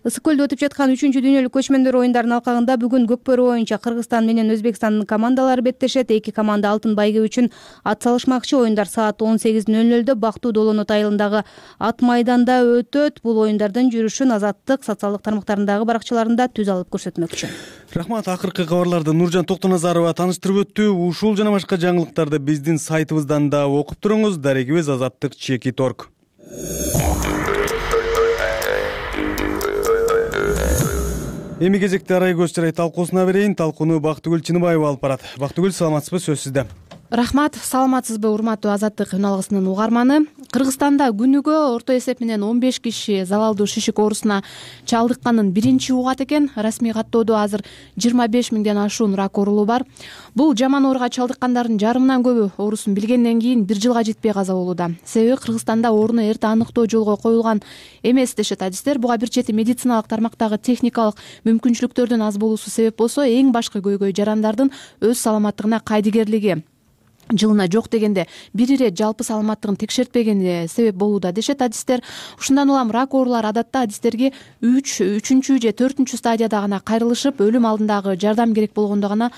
Ысык көлдө өтүп жаткан 3-чү дүйнөлүк көчмөндөр оюндарынын алкагында бүгүн Көкбөрү боюнча Кыргызстан менен Өзбекстандын командалары беттешет. Эки команда алтын байге үчүн ат салышмакчы. Оюндар саат 18:00 Бактуу Долонот айылындагы ат майданда өтөт. Бул оюндардын жүрүшүн Азаттык социалдык тармактарындагы баракчаларында түз алып көрсөтмөкчү. Рахмат. Акыркы кабарларды Нуржан Токтоназарова таныштырып өттү. Ушул жана башка жаңылыктарды биздин сайтыбыздан да окуп туруңуз. Дарегибиз Азаттык @org. Эми кезекте арай көз чырай талкуусуна берейин. Талкууну Бактыгүл Чыныбаева алып барат. Бактыгүл, саламатсызбы? Сөз сизде. Рахмат, саламатсызбы урматтуу Азаттык үн алгысынын угарманы. Кыргызстанда күнүгө орто эсеп менен 15 киши залалдуу шишик оорусуна чалдыкканын биринчи угат экен. Расмий каттоодо азыр 25 миңден ашуун рак оорулуу бар. Бул жаман ооруга чалдыккандардын жарымынан көбү оорусун билгенден кийин 1 жылга жетпей каза болууда. Себеби Кыргызстанда ооруну эрте аныктоо жолго коюлган эмес дешет адистер. Буга бир чети медициналык тармактагы техникалык мүмкүнчүлүктөрдүн аз болуусу себеп болсо, эң башкы көйгөй жарандардын өз саламаттыгына кайдыгерлиги, жылына жок дегенде бир ирет жалпы саламаттыгын текшертпегени себеп болууда дешет адистер. Ушундан улам рак оорулары адатта адистерге 3-чү же 4-чү стадияда гана кайрылышып, өлүм алдындагы жардам керек болгондо гана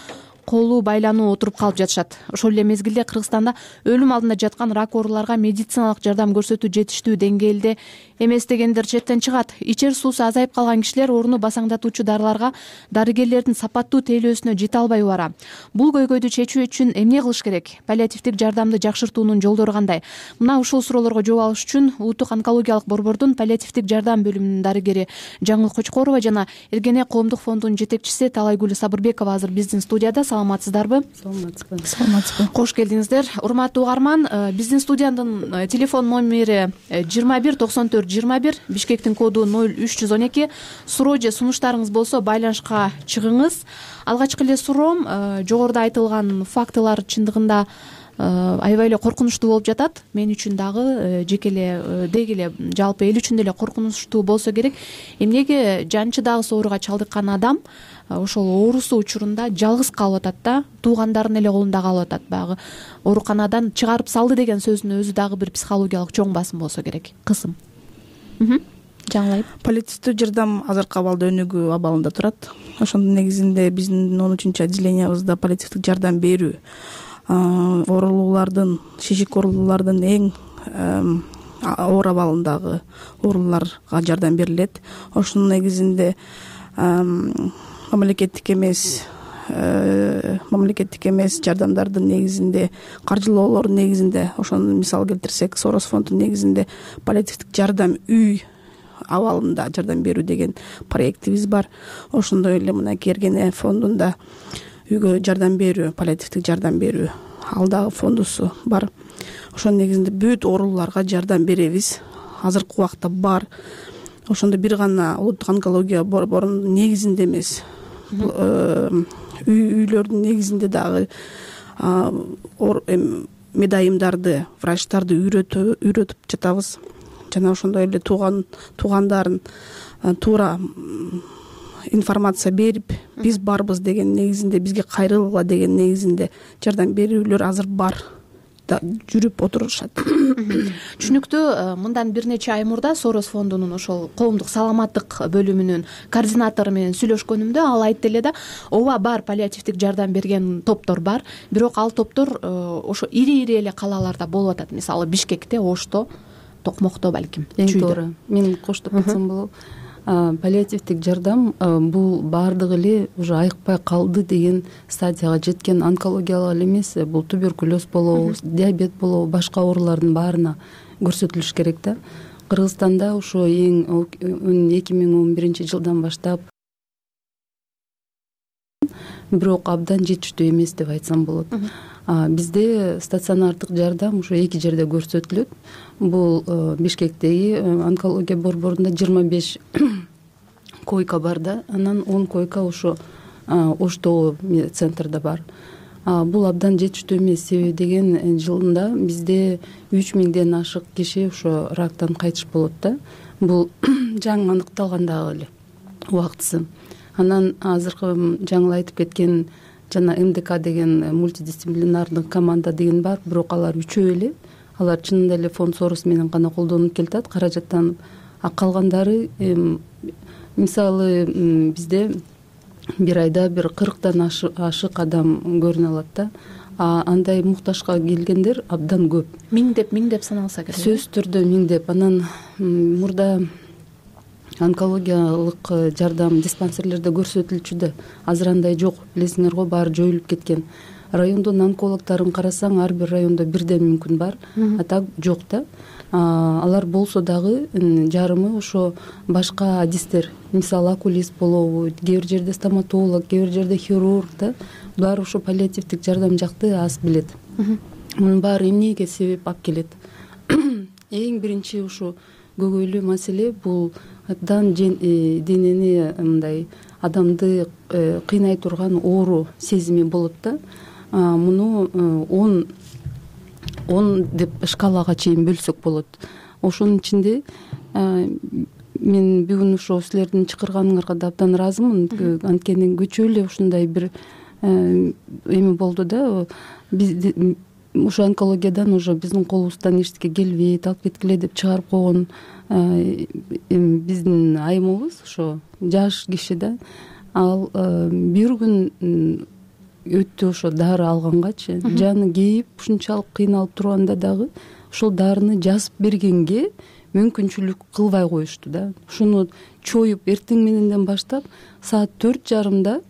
колу байлануу отуруп калып жатышат. Ошол эле мезгилде Кыргызстанда өлүм алдында жаткан рак ооруларга медициналык жардам көрсөтүү жетиштүү деңгээлде эмес дегендер четтен чыгат. Ичер суусу азайып калган кишилер ооруну басаңдатуучу дарыларга дарыгерлердин сапаттуу тейлөөсүнө жете албай убара. Бул көйгөйдү чечүү үчүн эмне кылыш керек? Паллиативдик жардамды жакшыртуунун жолдору кандай? Мына ушул суроолорго жооп алыш үчүн Улуттук онкологиялык борбордун паллиативдик жардам бөлүмүнүн дарыгери Жаңыл Кочкорова жана Эргене коомдук фондунун жетекчиси Талайгүл Сабырбекова азыр биздин студияда. Саламатсыздарбы? Саламатсызбы. Кош келдиңиздер. Урматтуу угарман, биздин студиянын телефон номери 21 94 21, Бишкектин коду 0312. Суроо же сунуштарыңыз болсо байланышка чыгыңыз. Алгачкы эле суроом, жогоруда айтылган фактылар чындыгында аябай эле коркунучтуу болуп жатат. Мен үчүн дагы жеке эле деги эле жалпы эл үчүн деле коркунучтуу болсо керек. Эмнеге жанчыдагы ооруга чалдыккан адам ошол оорусу учурунда жалгыз калып атат да, туугандарынын эле колунда калып атат. Баягы ооруканадан чыгарып салды деген сөздүн өзү дагы бир психологиялык чоң басым болсо керек. Кысым. Жаңылайып. Паллиативдүү жардам азыркы абалда өнүгүү абалында турат. Ошондун негизинде биздин 13-чү отделениябызда паллиативдик жардам берүү оорулуулардын, шишик оорулуулардын эң оор абалындагы ооруларга жардам берилет. Ошонун негизинде мамлекеттик эмес жардамдардын негизинде, каржылоолордун негизинде, ошону мисал келтирсек, Сорос фондунун негизинде паллиативдик жардам үй абалында жардам берүү деген проектибиз бар. Ошондой эле мына Эргене фондунда үйгө жардам берүү, паллиативдик жардам берүү ал дагы фондусу бар. Ошонун негизинде бүт ооруларга жардам беребиз. Азыркы убакта бар. Ошондо бир гана Улуттук онкология борборунун негизинде эмес, үйлөрдүн негизинде дагы медайымдарды, врачтарды үйрөтүп жатабыз. Жана ошондой эле туугандарын туура информация берип, биз барбыз деген негизинде, бизге кайрылгыла деген негизинде жардам берүүлөр азыр бар, жүрүп отурушат. Түшүнүктүү. Мындан бир нече ай мурда Сорос фондунун ошол коомдук саламаттык бөлүмүнүн координатору менен сүйлөшкөнүмдө ал айтты эле да, ооба бар, паллиативдик жардам берген топтор бар, бирок ал топтор ошо ири эле калаларда болуп атат. Мисалы Бишкекте, Ошто, Токмокто балким. Эң туура. Мен коштоп кетсем болобу. Паллиативдик жардам бул баардыгы эле уже айыкпай калды деген стадияга жеткен. Онкологиялык эле эмес, бул туберкулез болобу, диабет болобу, башка оорулардын баарына көрсөтүлүш керек да. Кыргызстанда ошо эң 2011 жылдан баштап, бирок абдан жетиштүү эмес деп айтсам болот. Бизде стационардык жардам ушу 2 жерде көрсөтүлөт. Бул Бишкектеги онкология борборунда 25 койка бар да, анан 10 койка ошо оштогу центрда бар. Бул абдан жетиштүү эмес, себеби деген жылында бизде 3000ден ашык киши ошо рактан кайтыш болот да. Бул жаңы аныкталган дагы эле убактысы. Анан азыркы жаңы айтып кеткен жана МДК деген мультидисциплинардык команда деген бар, бирок алар үчөө эле. Алар чынында эле фонд сорус менен гана колдонуп келатат, каражаттанып. Калгандары мисалы бизде бир айда бир 40дан ашык адам көрүнө алат да. Андай муктажга келгендер абдан көп. Миңдеп саналса керек. Сөзсүз түрдө миңдеп. Анан мурда онкологиялык жардам диспансерлерде көрсөтүлчү да. Азыр андай жок. Билесиңер го, баары жоюлуп кеткен. Райондун онкологдорун карасаң, ар бир райондо бирден мүмкүн бар, а так жок да. Алар болсо дагы жарымы ошо башка адистер, мисалы окулист болобу, кээ бир жерде стоматолог, кээ бир жерде хирург да. Булар ошо паллиативдик жардам жакты аз билет. Мунун баары эмнеге себеп алып келет? Эң биринчи ушу көйгөйлүү маселе бул абдан денени мындай адамды кыйнай турган оору сезими болот да. Муну 10 деп шкалага чейин бөлсөк болот. Ошонун ичинде мен бүгүн ошо силердин чакырганыңарга да абдан ыраазымын. Анткени көчө эле ушундай бир эми болду да. Биз ошо онкологиядан уже биздин колубуздан эчтеке келбейт, алып кеткиле деп чыгарып койгон биздин айымыбыз ошо жаш киши да. Ал бир күн өттү ошо дары алгангачы, жаны кейип ушунчалык кыйналып турганда дагы ошол дарыны жазып бергенге мүмкүнчүлүк кылбай коюшту да. Ушуну чоюп эртең мененден баштап саат 4:30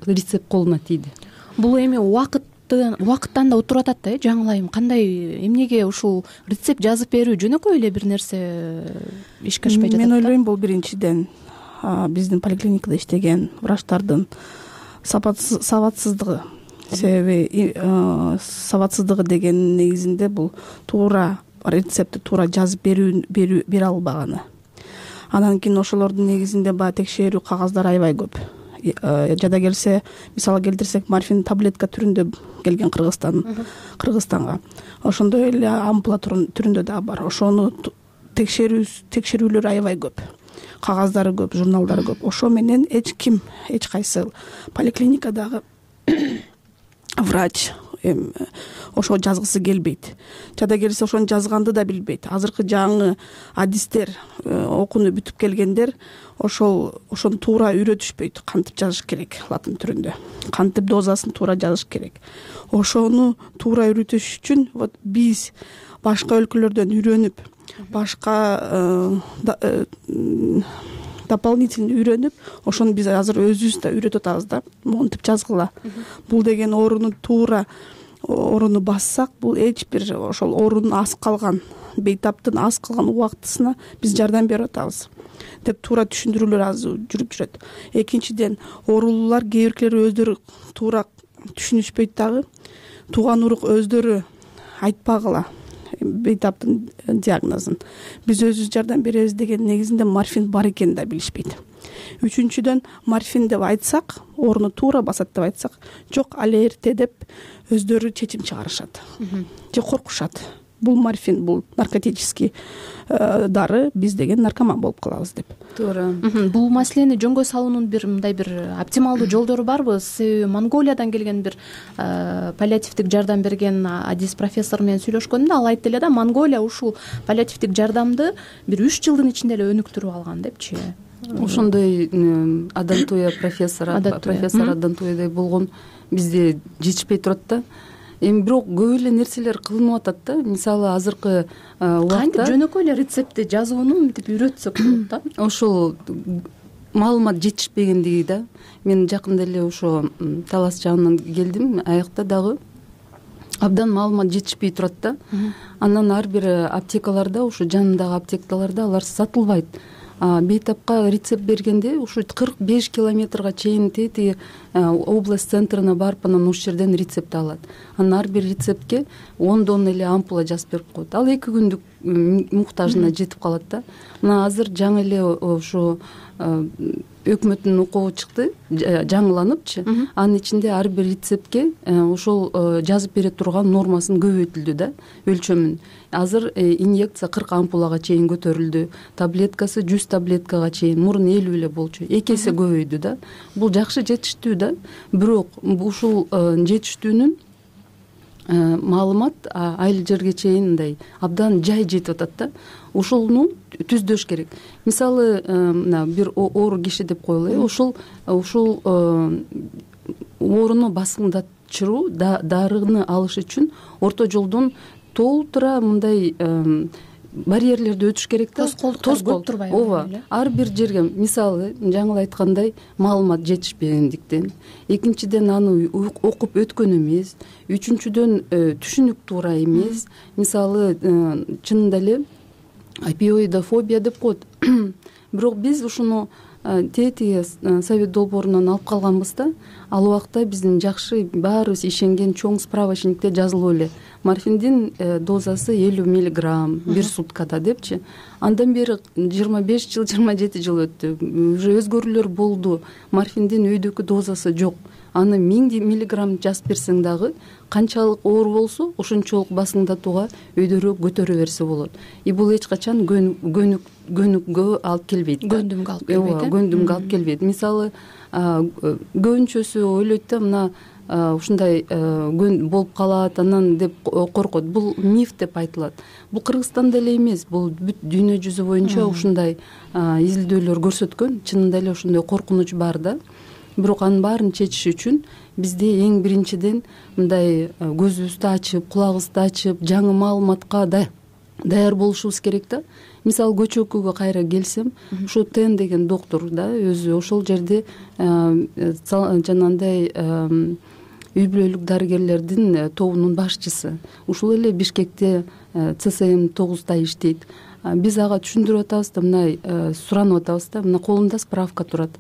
рецепт колуна тийди. Бул эми убакыттан да отуруп атат да, жаңылайм. Кандай эмнеге ушул рецепт жазып берүү жөнөкөй эле бир нерсе ишке ашпай жатат? Мен ойлойм, бул биринчиден биздин поликлиникада иштеген врачтардын сабатсыздыгы. Себеби сабатсыздыгы деген негизинде бул туура рецептти туура жазып бере албаганы. Анан кийин ошолордун негизинде баягы текшерүү кагаздары аябай көп. Жада келсе, мисалы келтирсек, морфин таблетка түрүндө келген Кыргызстанга. Ошондой эле ампула түрүндө дагы бар. Ошону текшерүүлөр аябай көп. Кагаздары көп, журналдары көп. Ошо менен эч кайсы поликлиникадагы врач ошо жазгысы келбейт. Жада келсе ошону жазганды да билбейт. Азыркы жаңы адистер, окууну бүтүп келгендер ошону туура үйрөтүшпөйт. Кантип жазыш керек латын түрүндө, кантип дозасын туура жазыш керек. Ошону туура үйрөтүш үчүн вот биз башка өлкөлөрдөн үйрөнүп, башка дополнительно үйрөнүп, ошону биз азыр өзүбүз да үйрөтүп атабыз да. Монтип жазгыла. Бул деген ооруну туура ооруну бассак, бул эч бир ошол оорунун аз калган, бейтаптын аз калган убактысына биз жардам берип атабыз деп туура түшүндүрүүлөр азыр жүрүп жүрөт. Экинчиден, оорулуулар кээ биркилери өздөрү туура түшүнүшпөйт дагы. Тууган урук өздөрү айтпагыла бейтаптын диагнозун. Биз өзүбүз жардам беребиз деген негизинде морфин бар экенин да билишпейт. Үчүнчүдөн, морфин деп айтсак, ооруну туура басат деп айтсак, жок, али эрте деп өздөрү чечим чыгарышат же коркушат. Бул морфин, бул наркотический дары, биз деген наркоман болуп калабыз деп. Туура. Бул маселени жөнгө салуунун бир мындай бир оптималдуу жолдору барбы? Себеби Монголиядан келген бир паллиативдик жардам берген адис профессор менен сүйлөшкөндө ал айтты эле да, Монголия ушул паллиативдик жардамды бир 3 жылдын ичинде эле өнүктүрүп алган депчи. Ошондой Адантуя профессор Адантуядай болгон бизде жетишпей турат да. Эми бирок көп эле нерселер кылынып атат да. Мисалы азыркы убакта кантип жөнөкөй эле рецептти жазууну мынтип үйрөтсөк болот да. Ошол маалымат жетишпегендиги да. Мен жакында эле ошо Талас жагынан келдим, аякта дагы абдан маалымат жетишпей турат да. Анан ар бир аптекаларда, ошо жанындагы аптекаларда алар сатылбайт. Бейтапка рецепт бергенде ушу 45 километрга чейин тетиги область центрына барып, анан ошол жерден рецепт алат. Анан ар бир рецептке 10 эле ампула жазып берип коет. Ал 2 күндүк муктажына жетип калат да. Мына азыр жаңы эле ошо өкмөттүн укугу чыкты, жаңыланыпчы. Анын ичинде ар бир рецептке ошол жазып бере турган нормасын көбөйтүлдү да, өлчөмүн. Азыр инъекция 40 ампулага чейин көтөрүлдү, таблеткасы 100 таблеткага чейин, мурун 50 эле болчу, 2 эсе көбөйдү да. Бул жакшы жетиштүү да. Бирок ушул жетиштүүнүн маалымат айыл жерге чейин мындай абдан жай жетип атат да. Ушуну түздөш керек. Мисалы, мына бир оор киши деп коелу, ушул ооруну басыңдатчыруу дарыны алыш үчүн орто жолдон толтура мындай барьерлерди өтүш керек да. Тоскоол турбайбы? Ооба. Ар бир жерге, мисалы, жаңы айткандай, маалымат жетишпегендиктен, экинчиден аны окуп өткөн эмес, үчүнчүдөн түшүнүк туура эмес. Мисалы, чынында эле опиоидофобия деп коет. Бирок биз ушуну тетиги совет долбоорунан алып калганбыз да. Ал убакта биздин жакшы баарыбыз ишенген чоң справочникте жазылып эле морфиндин дозасы 50 миллиграмм бир суткада депчи. Андан бери 25 жыл, 27 жыл өттү. Уже өзгөрүүлөр болду. Морфиндин өйдөкү дозасы жок. Аны 1000 миллиграмм жазып берсең дагы канчалык оор болсо, ошончолук басыңдатууга өйдөрөөк көтөрө берсе болот. Бул эч качан көнүккө алып келбейт. Көндүмгө алып келбейт. Көндүмгө алып келбейт. Мисалы, көбүнчөсү ойлойт да, мына ушундай болуп калат анан деп коркот. Бул миф деп айтылат. Бул Кыргызстанда эле эмес, бул бүт дүйнө жүзү боюнча ушундай изилдөөлөр көрсөткөн. Чынында эле ошондой коркунуч бар да. Бирок анын баарын чечиш үчүн бизде эң биринчиден мындай көзүбүздү ачып, кулагыбызды ачып, жаңы маалыматка даяр болушубуз керек да. Мисалы, көчөкүгө кайра келсем, ушул Тен деген доктор да, өзү ошол жерде жанагындай үй бүлөлүк дарыгерлердин тобунун башчысы. Ушул эле Бишкекте ЦСМ 9да иштейт. Биз ага түшүндүрүп атабыз да, мындай суранып атабыз да, мына колумда справка турат.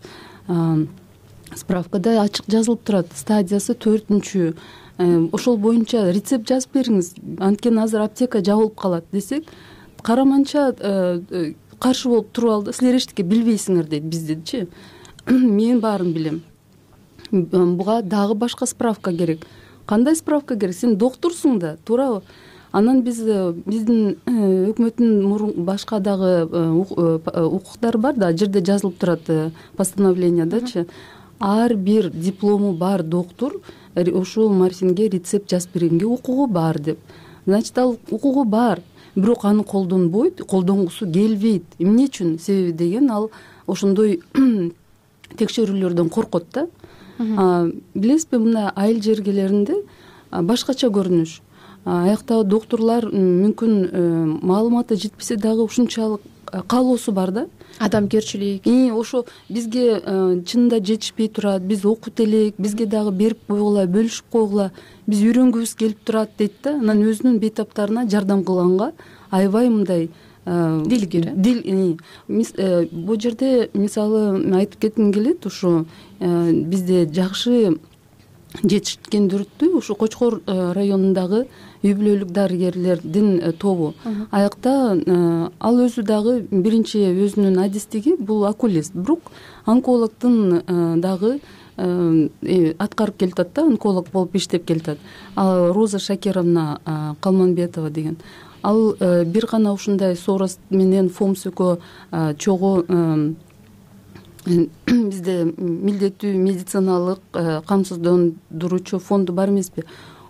Справкада ачык жазылып турат, стадиясы 4-чү. Ошол боюнча рецепт жазып бериңиз, анткени азыр аптека жабылып калат десек, караманча каршы болуп туруп алды. Силер эчтеке билбейсиңер дейт биздечи. Мен баарын билем. Буга дагы башка справка керек. Кандай справка керек? Сен докторсуң да, туурабы? Анан биздин өкмөттүн башка дагы укуктары бар да, жерде жазылып турат постановлениядачы. Ар бир диплому бар доктор ушул морфинге рецепт жазып бергенге укугу бар деп. Значит, ал укугу бар, бирок аны колдонбойт, колдонгусу келбейт. Эмне үчүн? Себеби деген ал ошондой текшерүүлөрдөн коркот да. Билесизби, мына айыл жергелеринде башкача көрүнүш. Аяктагы докторлар мүмкүн маалыматы жетпесе дагы ушунчалык каалоосу бар да. Адамгерчилик. Ошо бизге чынында жетишпей турат, биз окут элек, бизге дагы берип койгула, бөлүшүп койгула, биз үйрөнгүбүз келип турат дейт да. Анан өзүнүн бейтаптарына жардам кылганга аябай мындай дилгир. Бул жерде мисалы айтып кетким келет, ушу бизде жакшы жетишкендөрдү ушу Кочкор районундагы үй бүлөлүк дарыгерлердин тобу. Аякта ал өзү дагы биринчи өзүнүн адистиги бул окулист, бирок онкологдун дагы аткарып келатат да, онколог болуп иштеп келатат. Ал Роза Шакировна Калманбетова деген. Ал бир гана ушундай Сорос менен ФОМСК чогуу бизде милдеттүү медициналык камсыздандыруучу фонду бар эмеспи?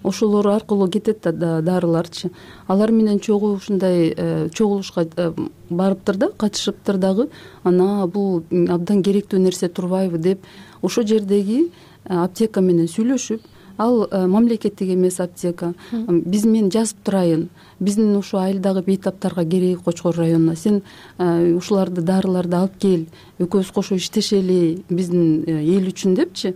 Ошолор аркылуу кетет да дарыларчы. Алар менен чогуу ушундай чогулушка барыптыр да, катышыптыр дагы. Ана бул абдан керектүү нерсе турбайбы деп ошо жердеги аптека менен сүйлөшүп, ал мамлекеттик эмес аптека. Биз мен жазып турайын. Биздин ушу айылдагы бейтаптарга керек Кочкор районуна. Сен ушуларды дарыларды алып кел. Экөөбүз кошо иштешели биздин эл үчүн депчи.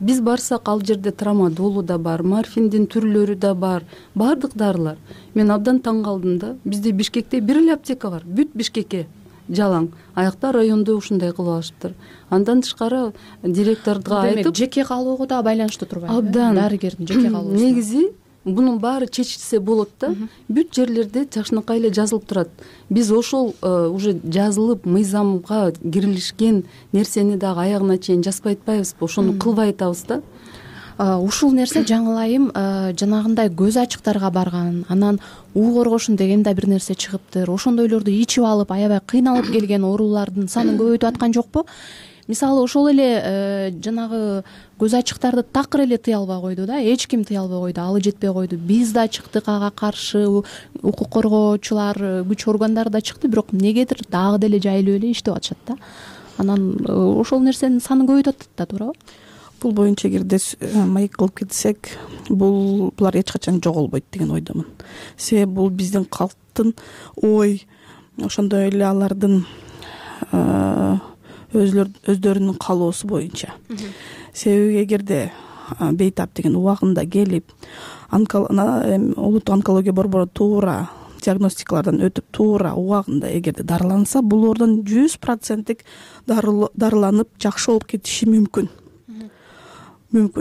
Биз барсак ал жерде трамадолу да бар, морфиндин түрлөрү да бар, бардык дарылар. Мен абдан таң калдым да. Бизде Бишкекте бир эле аптека бар. Бүт Бишкекке жалаң. Аякта райондо ушундай кылып алышыптыр. Андан тышкары директорго айтып, жеке калууга да байланыштуу турбайбы? Абдан. Дарыгердин жеке калуусу. Негизи Мунун баары чечилсе болот да. Бүт жерлерде жакшынакай эле жазылып турат. Биз ошол уже жазылып мыйзамга кирилишкен нерсени дагы аягына чейин жазбай атпайбызбы, ошону кылбай атабыз да. Ушул нерсе жаңылайым жанагындай көз ачыктарга барган, анан уу коргошун деген да бир нерсе чыгыптыр. Ошондойлорду ичип алып, аябай кыйналып келген оорулардын санын көбөйтүп аткан жокпу? Мисалы ошол эле жанагы көз ачыктарды такыр эле тыя албай койду да, эч ким тыя албай койду, алы жетпей койду. Биз да чыктык ага каршы, укук коргоочулар, күч органдары да чыкты, бирок эмнегедир дагы деле жайылып эле иштеп атышат да. Анан ошол нерсенин санын көбөйтүп атат да, туурабы? Бул боюнча эгерде маек кылып кетсек, булар эч качан жоголбойт деген ойдомун. Себеби бул биздин калктын ой, ошондой эле алардын өздөрүнүн каалоосу боюнча. Себеби эгерде бейтап деген убагында келип, улуттук онкология борбору туура диагностикалардан өтүп, туура убагында эгерде дарыланса, булордон 100% дарыланып жакшы болуп кетиши мүмкүн.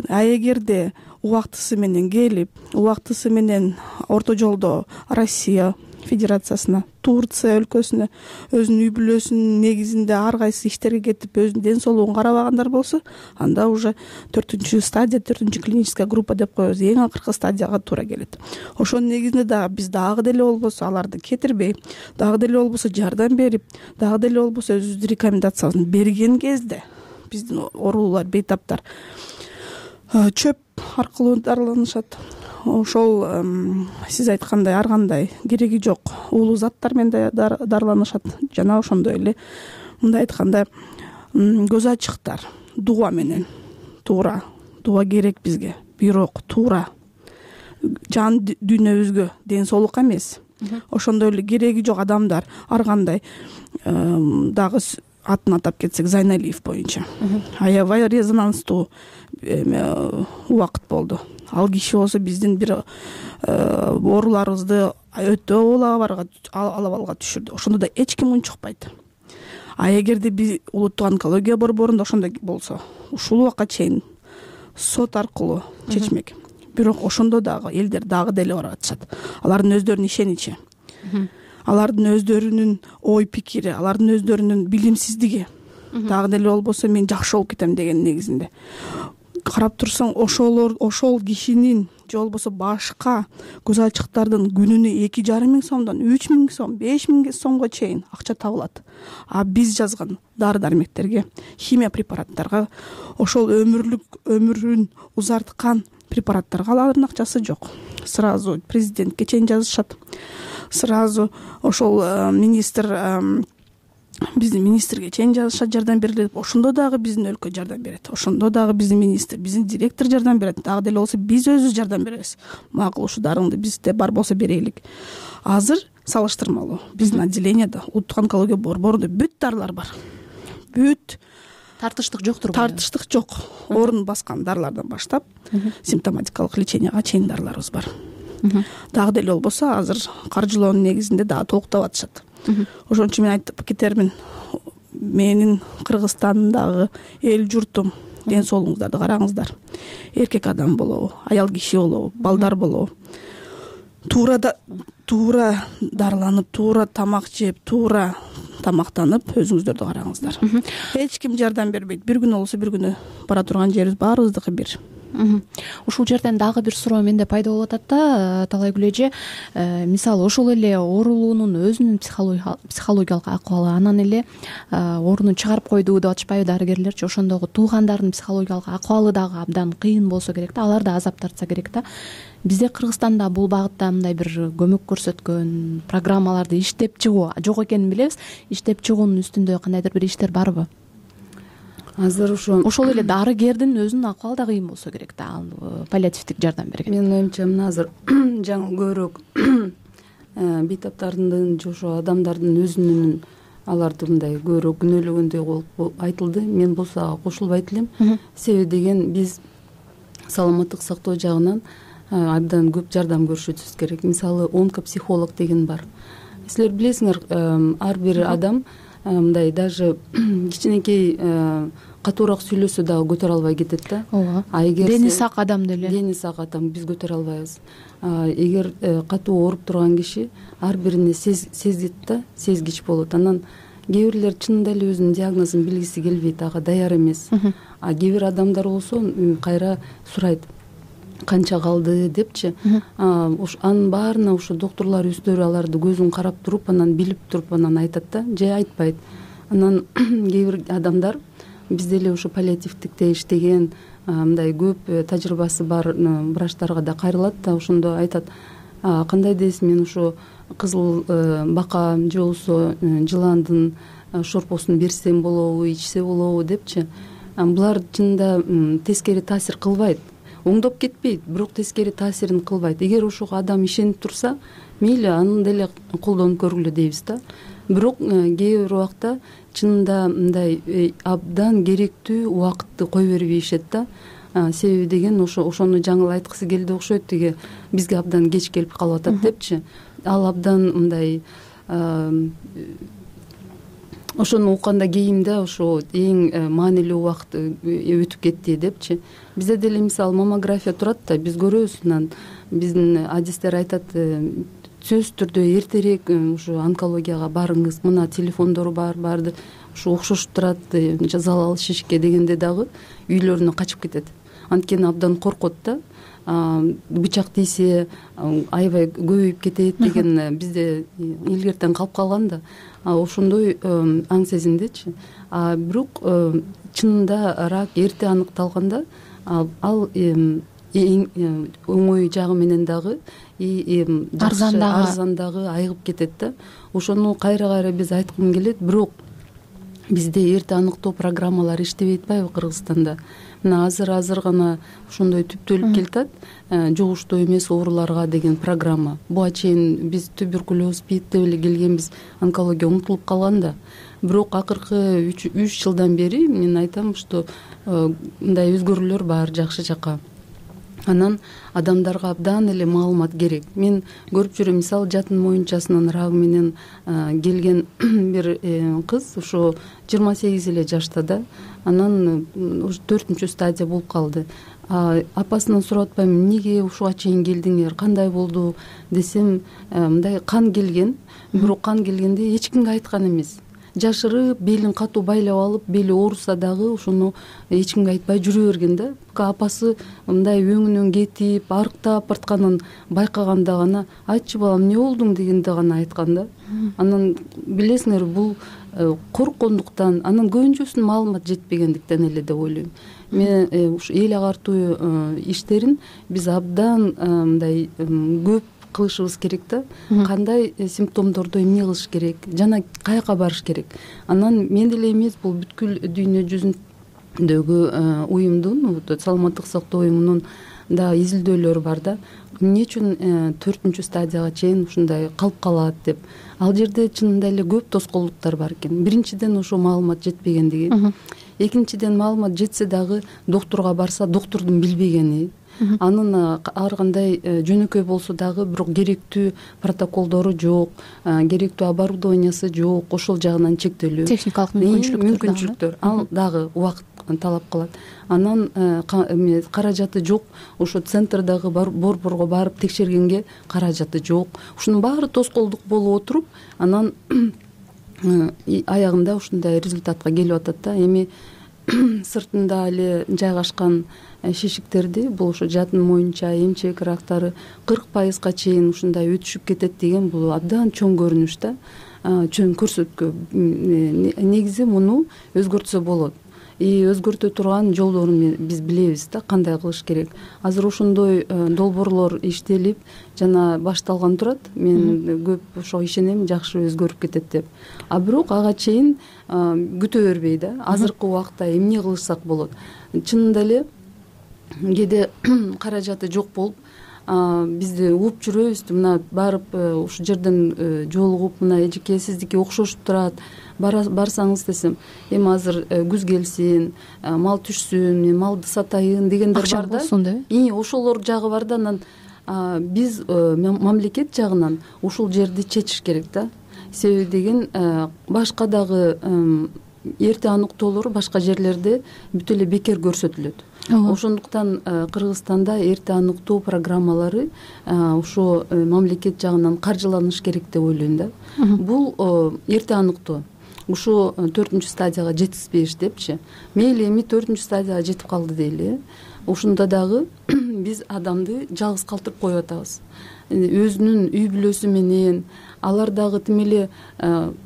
А эгерде убактысы менен келип, убактысы менен орто жолдо Россия Федерациясына, Турция өлкөсүнө, өзүнүн үй бүлөсүнүн негизинде ар кайсы иштерге кетип, өзүнүн ден соолугун карабагандар болсо, анда уже 4-чү стадия, 4-чү клиническая группа деп коебуз, эң акыркы стадияга туура келет. Ошонун негизинде дагы биз дагы деле болбосо аларды кетирбей, дагы деле болбосо жардам берип, дагы деле болбосо өзүбүздүн рекомендациясын берген кезде биздин оорулуулар, бейтаптар чөп аркылуу дарыланышат. Ошол сиз айткандай ар кандай кереги жок уулуу заттар менен дарыланышат. Жана ошондой эле мындай айтканда көз ачыктар дуа менен туура, дуа керек бизге, бирок туура жан дүйнөбүзгө ден соолук эмес. Ошондой эле кереги жок адамдар ар кандай дагы атын атап кетсек, Зайналиев боюнча аябай резонанстуу убакыт болду. Ал киши болсо биздин бир ооруларыбызды өтө алабалга түшүрдү. Ошондо да эч ким унчукпайт. А эгерде биз улуттук онкология борборунда ошондой болсо, ушул убакка чейин сот аркылуу чечмек. Бирок ошондо дагы элдер дагы деле барып атышат. Алардын өздөрүнүн ишеничи, алардын өздөрүнүн ой пикири, алардын өздөрүнүн билимсиздиги дагы деле болбосо мен жакшы болуп кетем деген негизинде. Карап турсаң, ошол кишинин же болбосо башка көз ачыктардын күнүнө 2,5 сомдон 3,000 сом, 5,000 сомго чейин акча табылат. А биз жазган дары дармектерге, химия препараттарга, ошол өмүрүн узарткан препараттарга алардын акчасы жок. Сразу президентке чейин жазышат. Сразу ошол биздин министрге чейин жазышат, жардам берилет. Ошондо дагы биздин өлкө жардам берет. Ошондо дагы биздин министр, биздин директор жардам берет. Дагы деле болсо биз өзүбүз жардам беребиз. Макул, ушу дарыңды бизде бар болсо берелик. Азыр салыштырмалуу биздин отделениеде, улуттук онкология борборунда бүт дарылар бар. Бүт тартыштык жоктур. Тартыштык жок. Орун баскан дарылардан баштап симптоматикалык леченияга чейин дарыларыбыз бар. Дагы деле болбосо азыр каржылоонун негизинде дагы толуктап атышат. Ошон үчүн мен айтып кетермин, менин Кыргызстандагы эл журтум, ден соолугуңуздарды караңыздар. Эркек адам болобу, аял киши болобу, балдар болобу, туура дарыланып, туура тамак жеп, туура тамактанып, өзүңүздөрдү караңыздар. Эч ким жардам бербейт. Бир күн болсо бир күнү бара турган жерибиз баарыбыздыкы бир. Ушул жерден дагы бир суроо менде пайда болуп атат да, Талайгүл эже. Мисалы ошол эле оорулуунун өзүнүн психологиялык акыбалы, анан эле оорууну чыгарып койду деп атышпайбы дарыгерлерчи? Ошондогу туугандардын психологиялык акыбалы дагы абдан кыйын болсо керек да, алар да азап тартса керек да. Бизде Кыргызстанда бул багытта мындай бир көмөк көрсөткөн программаларды иштеп чыгуу жок экенин билебиз. Иштеп чыгуунун үстүндө кандайдыр бир иштер барбы? Азыр ошол эле дарыгердин өзүнүн акыбалы да кыйын болсо керек да, паллиативдик жардам берген. Менин оюмча мына азыр жаңы көбүрөөк бейтаптардын же ошо адамдардын өзүнүн аларды мындай көбүрөөк күнөөлөгөндөй болуп айтылды. Мен болсо кошулбайт элем. Себеби деген биз саламаттык сактоо жагынан абдан көп жардам көрүшүбүз керек. Мисалы онкопсихолог деген бар. Силер билесиңер, ар бир адам мындай даже кичинекей катуураак сүйлөсө дагы көтөрө албай кетет да. ооба. Эгер дени сак адам деле дени сак адам биз көтөрө албайбыз. Эгер катуу ооруп турган киши ар бирине сезет да, сезгич болот. Анан кээ бирлер чынында эле өзүнүн диагнозун билгиси келбейт, ага даяр эмес. Кээ бир адамдар болсо кайра сурайт канча калды депчи. Анын баарына ушу доктурлар өздөрү аларды көзүн карап туруп, анан билип туруп анан айтат да, же айтпайт. Анан кээ бир адамдар бизде эле ушу паллиативдикте иштеген мындай көп тажрыйбасы бар врачтарга да кайрылат да, ошондо айтат: кандай дейсиз, мен ушу кызыл бака же болбосо жыландын шорпосун берсем болобу, ичсе болобу депчи. Булар чынында тескери таасир кылбайт, оңдоп кетпейт, бирок тескери таасирин кылбайт. Эгер ошого адам ишенип турса, мейли аны деле колдонуп көргүлө дейбиз да. Бирок кээ бир убакта чынында мындай абдан керектүү убакытты кое бербейишет да. Себеби деген ошону жаңы айткысы келди окшойт, тиги бизге абдан кеч келип калып атат депчи. Ал абдан мындай ошону укканда кийимде ошо эң маанилүү убакыт өтүп кетти депчи. Бизде деле мисалы маммография турат да, биз көрөбүз, анан биздин адистер айтат: сөзсүз түрдө эртерээк ушу онкологияга барыңыз, мына телефондору бар, баарды ушу окшошуп турат, залал шишке дегенде дагы үйлөрүнө качып кетет. Анткени абдан коркот да, бычак тийсе аябай көбөйүп кетет деген бизде илгертен калып калган да. Ошондой аң сезимдечи. Бирок чынында рак эрте аныкталганда ал эң оңой жагы менен дагы арзан дагы айыгып кетет да. Ошону кайра биз айткым келет. Бирок бизде эрте аныктоо программалары иштебей атпайбы Кыргызстанда? Мына азыр гана ошондой түптөлүп келатат, жугуштуу эмес ооруларга деген программа. Буга чейин биз туберкулез, СПИД деп эле келгенбиз, онкология унутулуп калган да. Бирок акыркы 3 жылдан бери мен айтам, что мындай өзгөрүүлөр бар жакшы жакка. Анан адамдарга абдан эле маалымат керек. Мен көрүп жүрөм, мисалы жатын моюнчасынын рагы менен келген бир кыз ошо 28 эле жашта да. Анан ушу 4-чү стадия болуп калды. Апасынан сурап атпайм, эмнеге ушуга чейин келдиңер, кандай болду десем, мындай кан келген, бирок кан келгенде эч кимге айткан эмес. Жашырып, белин катуу байлап алып, бели ооруса дагы ошону эч кимге айтпай жүрө берген да. Апасы мындай өңүнөн кетип, арыктап бартканын байкаганда гана: айтчы балам, эмне болдуң дегенде гана айткан да. Анан билесиңер, бул корккондуктан, анан көбүнчөсүнүн маалымат жетпегендиктен эле деп ойлойм. Мен ушу эл агартуу иштерин биз абдан мындай көп кылышыбыз керек да. Кандай симптомдордо эмне кылыш керек, жана каяка барыш керек. Анан мен деле эмес, бул бүткүл дүйнө жүзүндөгү уюмдун, саламаттык сактоо уюмунун да изилдөөлөрү бар да. Эмне үчүн 4-чү стадияга чейин ушундай калып калат деп. Ал жерде чынында эле көп тоскоолдуктар бар экен. Биринчиден ошо маалымат жетпегендиги. Экинчиден маалымат жетсе дагы доктурга барса, доктурдун билбегени. Анын ар кандай жөнөкөй болсо дагы бирок керектүү протоколдору жок, керектүү оборудованиясы жок, ошол жагынан чектелүү. Техникалык мүмкүнчүлүктөр ал дагы убакыт талап кылат. Анан каражаты жок, ошо центрдагы борборго барып текшергенге каражаты жок. Ушунун баары тоскоолдук болуп отуруп, анан аягында ушундай результатка келип атат да. Эми сыртында эле жайгашкан шишиктерди, бул ошо жатын моюнча, эмчек рактары 40% чейин ушундай өтүшүп кетет деген, бул абдан чоң көрүнүш да, чоң көрсөткө. Негизи муну өзгөртсө болот. Өзгөртө турган жолдорун биз билебиз да, кандай кылыш керек. Азыр ошондой долбоорлор иштелип жана башталган турат. Мен көп ошого ишенем, жакшы өзгөрүп кетет деп. Бирок ага чейин күтө бербей да, азыркы убакта эмне кылышсак болот. Чынында эле кээде каражаты жок болуп, бизди угуп жүрөбүз, мына барып ушул жерден жолугуп, мына эжеке сиздики окшошуп турат, барсаңыз десем, эми азыр күз келсин, мал түшсүн, мен малды сатайын дегендер бар да. Ошолор жагы бар да. Анан биз мамлекет жагынан ушул жерди чечиш керек да. Себеби деген башка дагы эрте аныктоолору башка жерлерде бүт эле бекер көрсөтүлөт. Ошондуктан Кыргызстанда эрте аныктоо программалары ошо мамлекет жагынан каржыланыш керек деп ойлойм да. Бул эрте аныктоо ушу 4 стадияга жетишпеш депчи. Мейли эми 4 стадияга жетип калды дейли. Ошондо дагы биз адамды жалгыз калтырып коюп атабыз. Өзүнүн үй бүлөсү менен алар дагы тим эле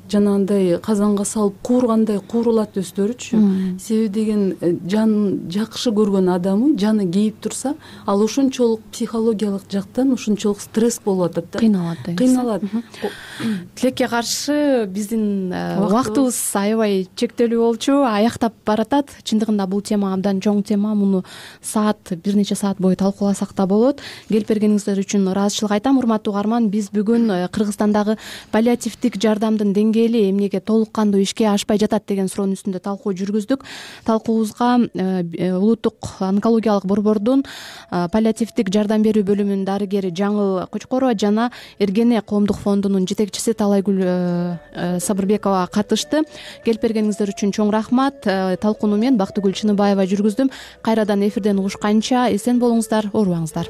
жанагындай казанга салып куургандай куурулат өздөрүчү. Себеби деген жанын жакшы көргөн адамы жаны кейип турса, ал ошончолук психологиялык жактан ошончолук стресс болуп атат да. Кыйналат. Тилекке каршы биздин убактыбыз аябай чектелүү болчу, аяктап баратат. Чындыгында бул тема абдан чоң тема. Муну бир нече саат бою талкууласак да болот. Келип бергениңиздер үчүн ыраазычылык айтам. Урматтуу угарман, биз бүгүн Кыргызстандагы паллиативдик жардамдын деңгээли эмнеге толук кандуу ишке ашпай жатат деген суроонун үстүндө талкуу жүргүздүк. Талкуубузга улуттук онкологиялык борбордун паллиативдик жардам берүү бөлүмүнүн дарыгери Жаңыл Кочкорова жана Эргене коомдук фондунун жетекчиси Талайгүл Сабырбекова катышты. Келип бергениңиздер үчүн чоң рахмат. Талкууну мен Бактыгүл Чыныбаева жүргүздүм. Кайрадан эфирден угушканча эсен болуңуздар, оорубаңыздар.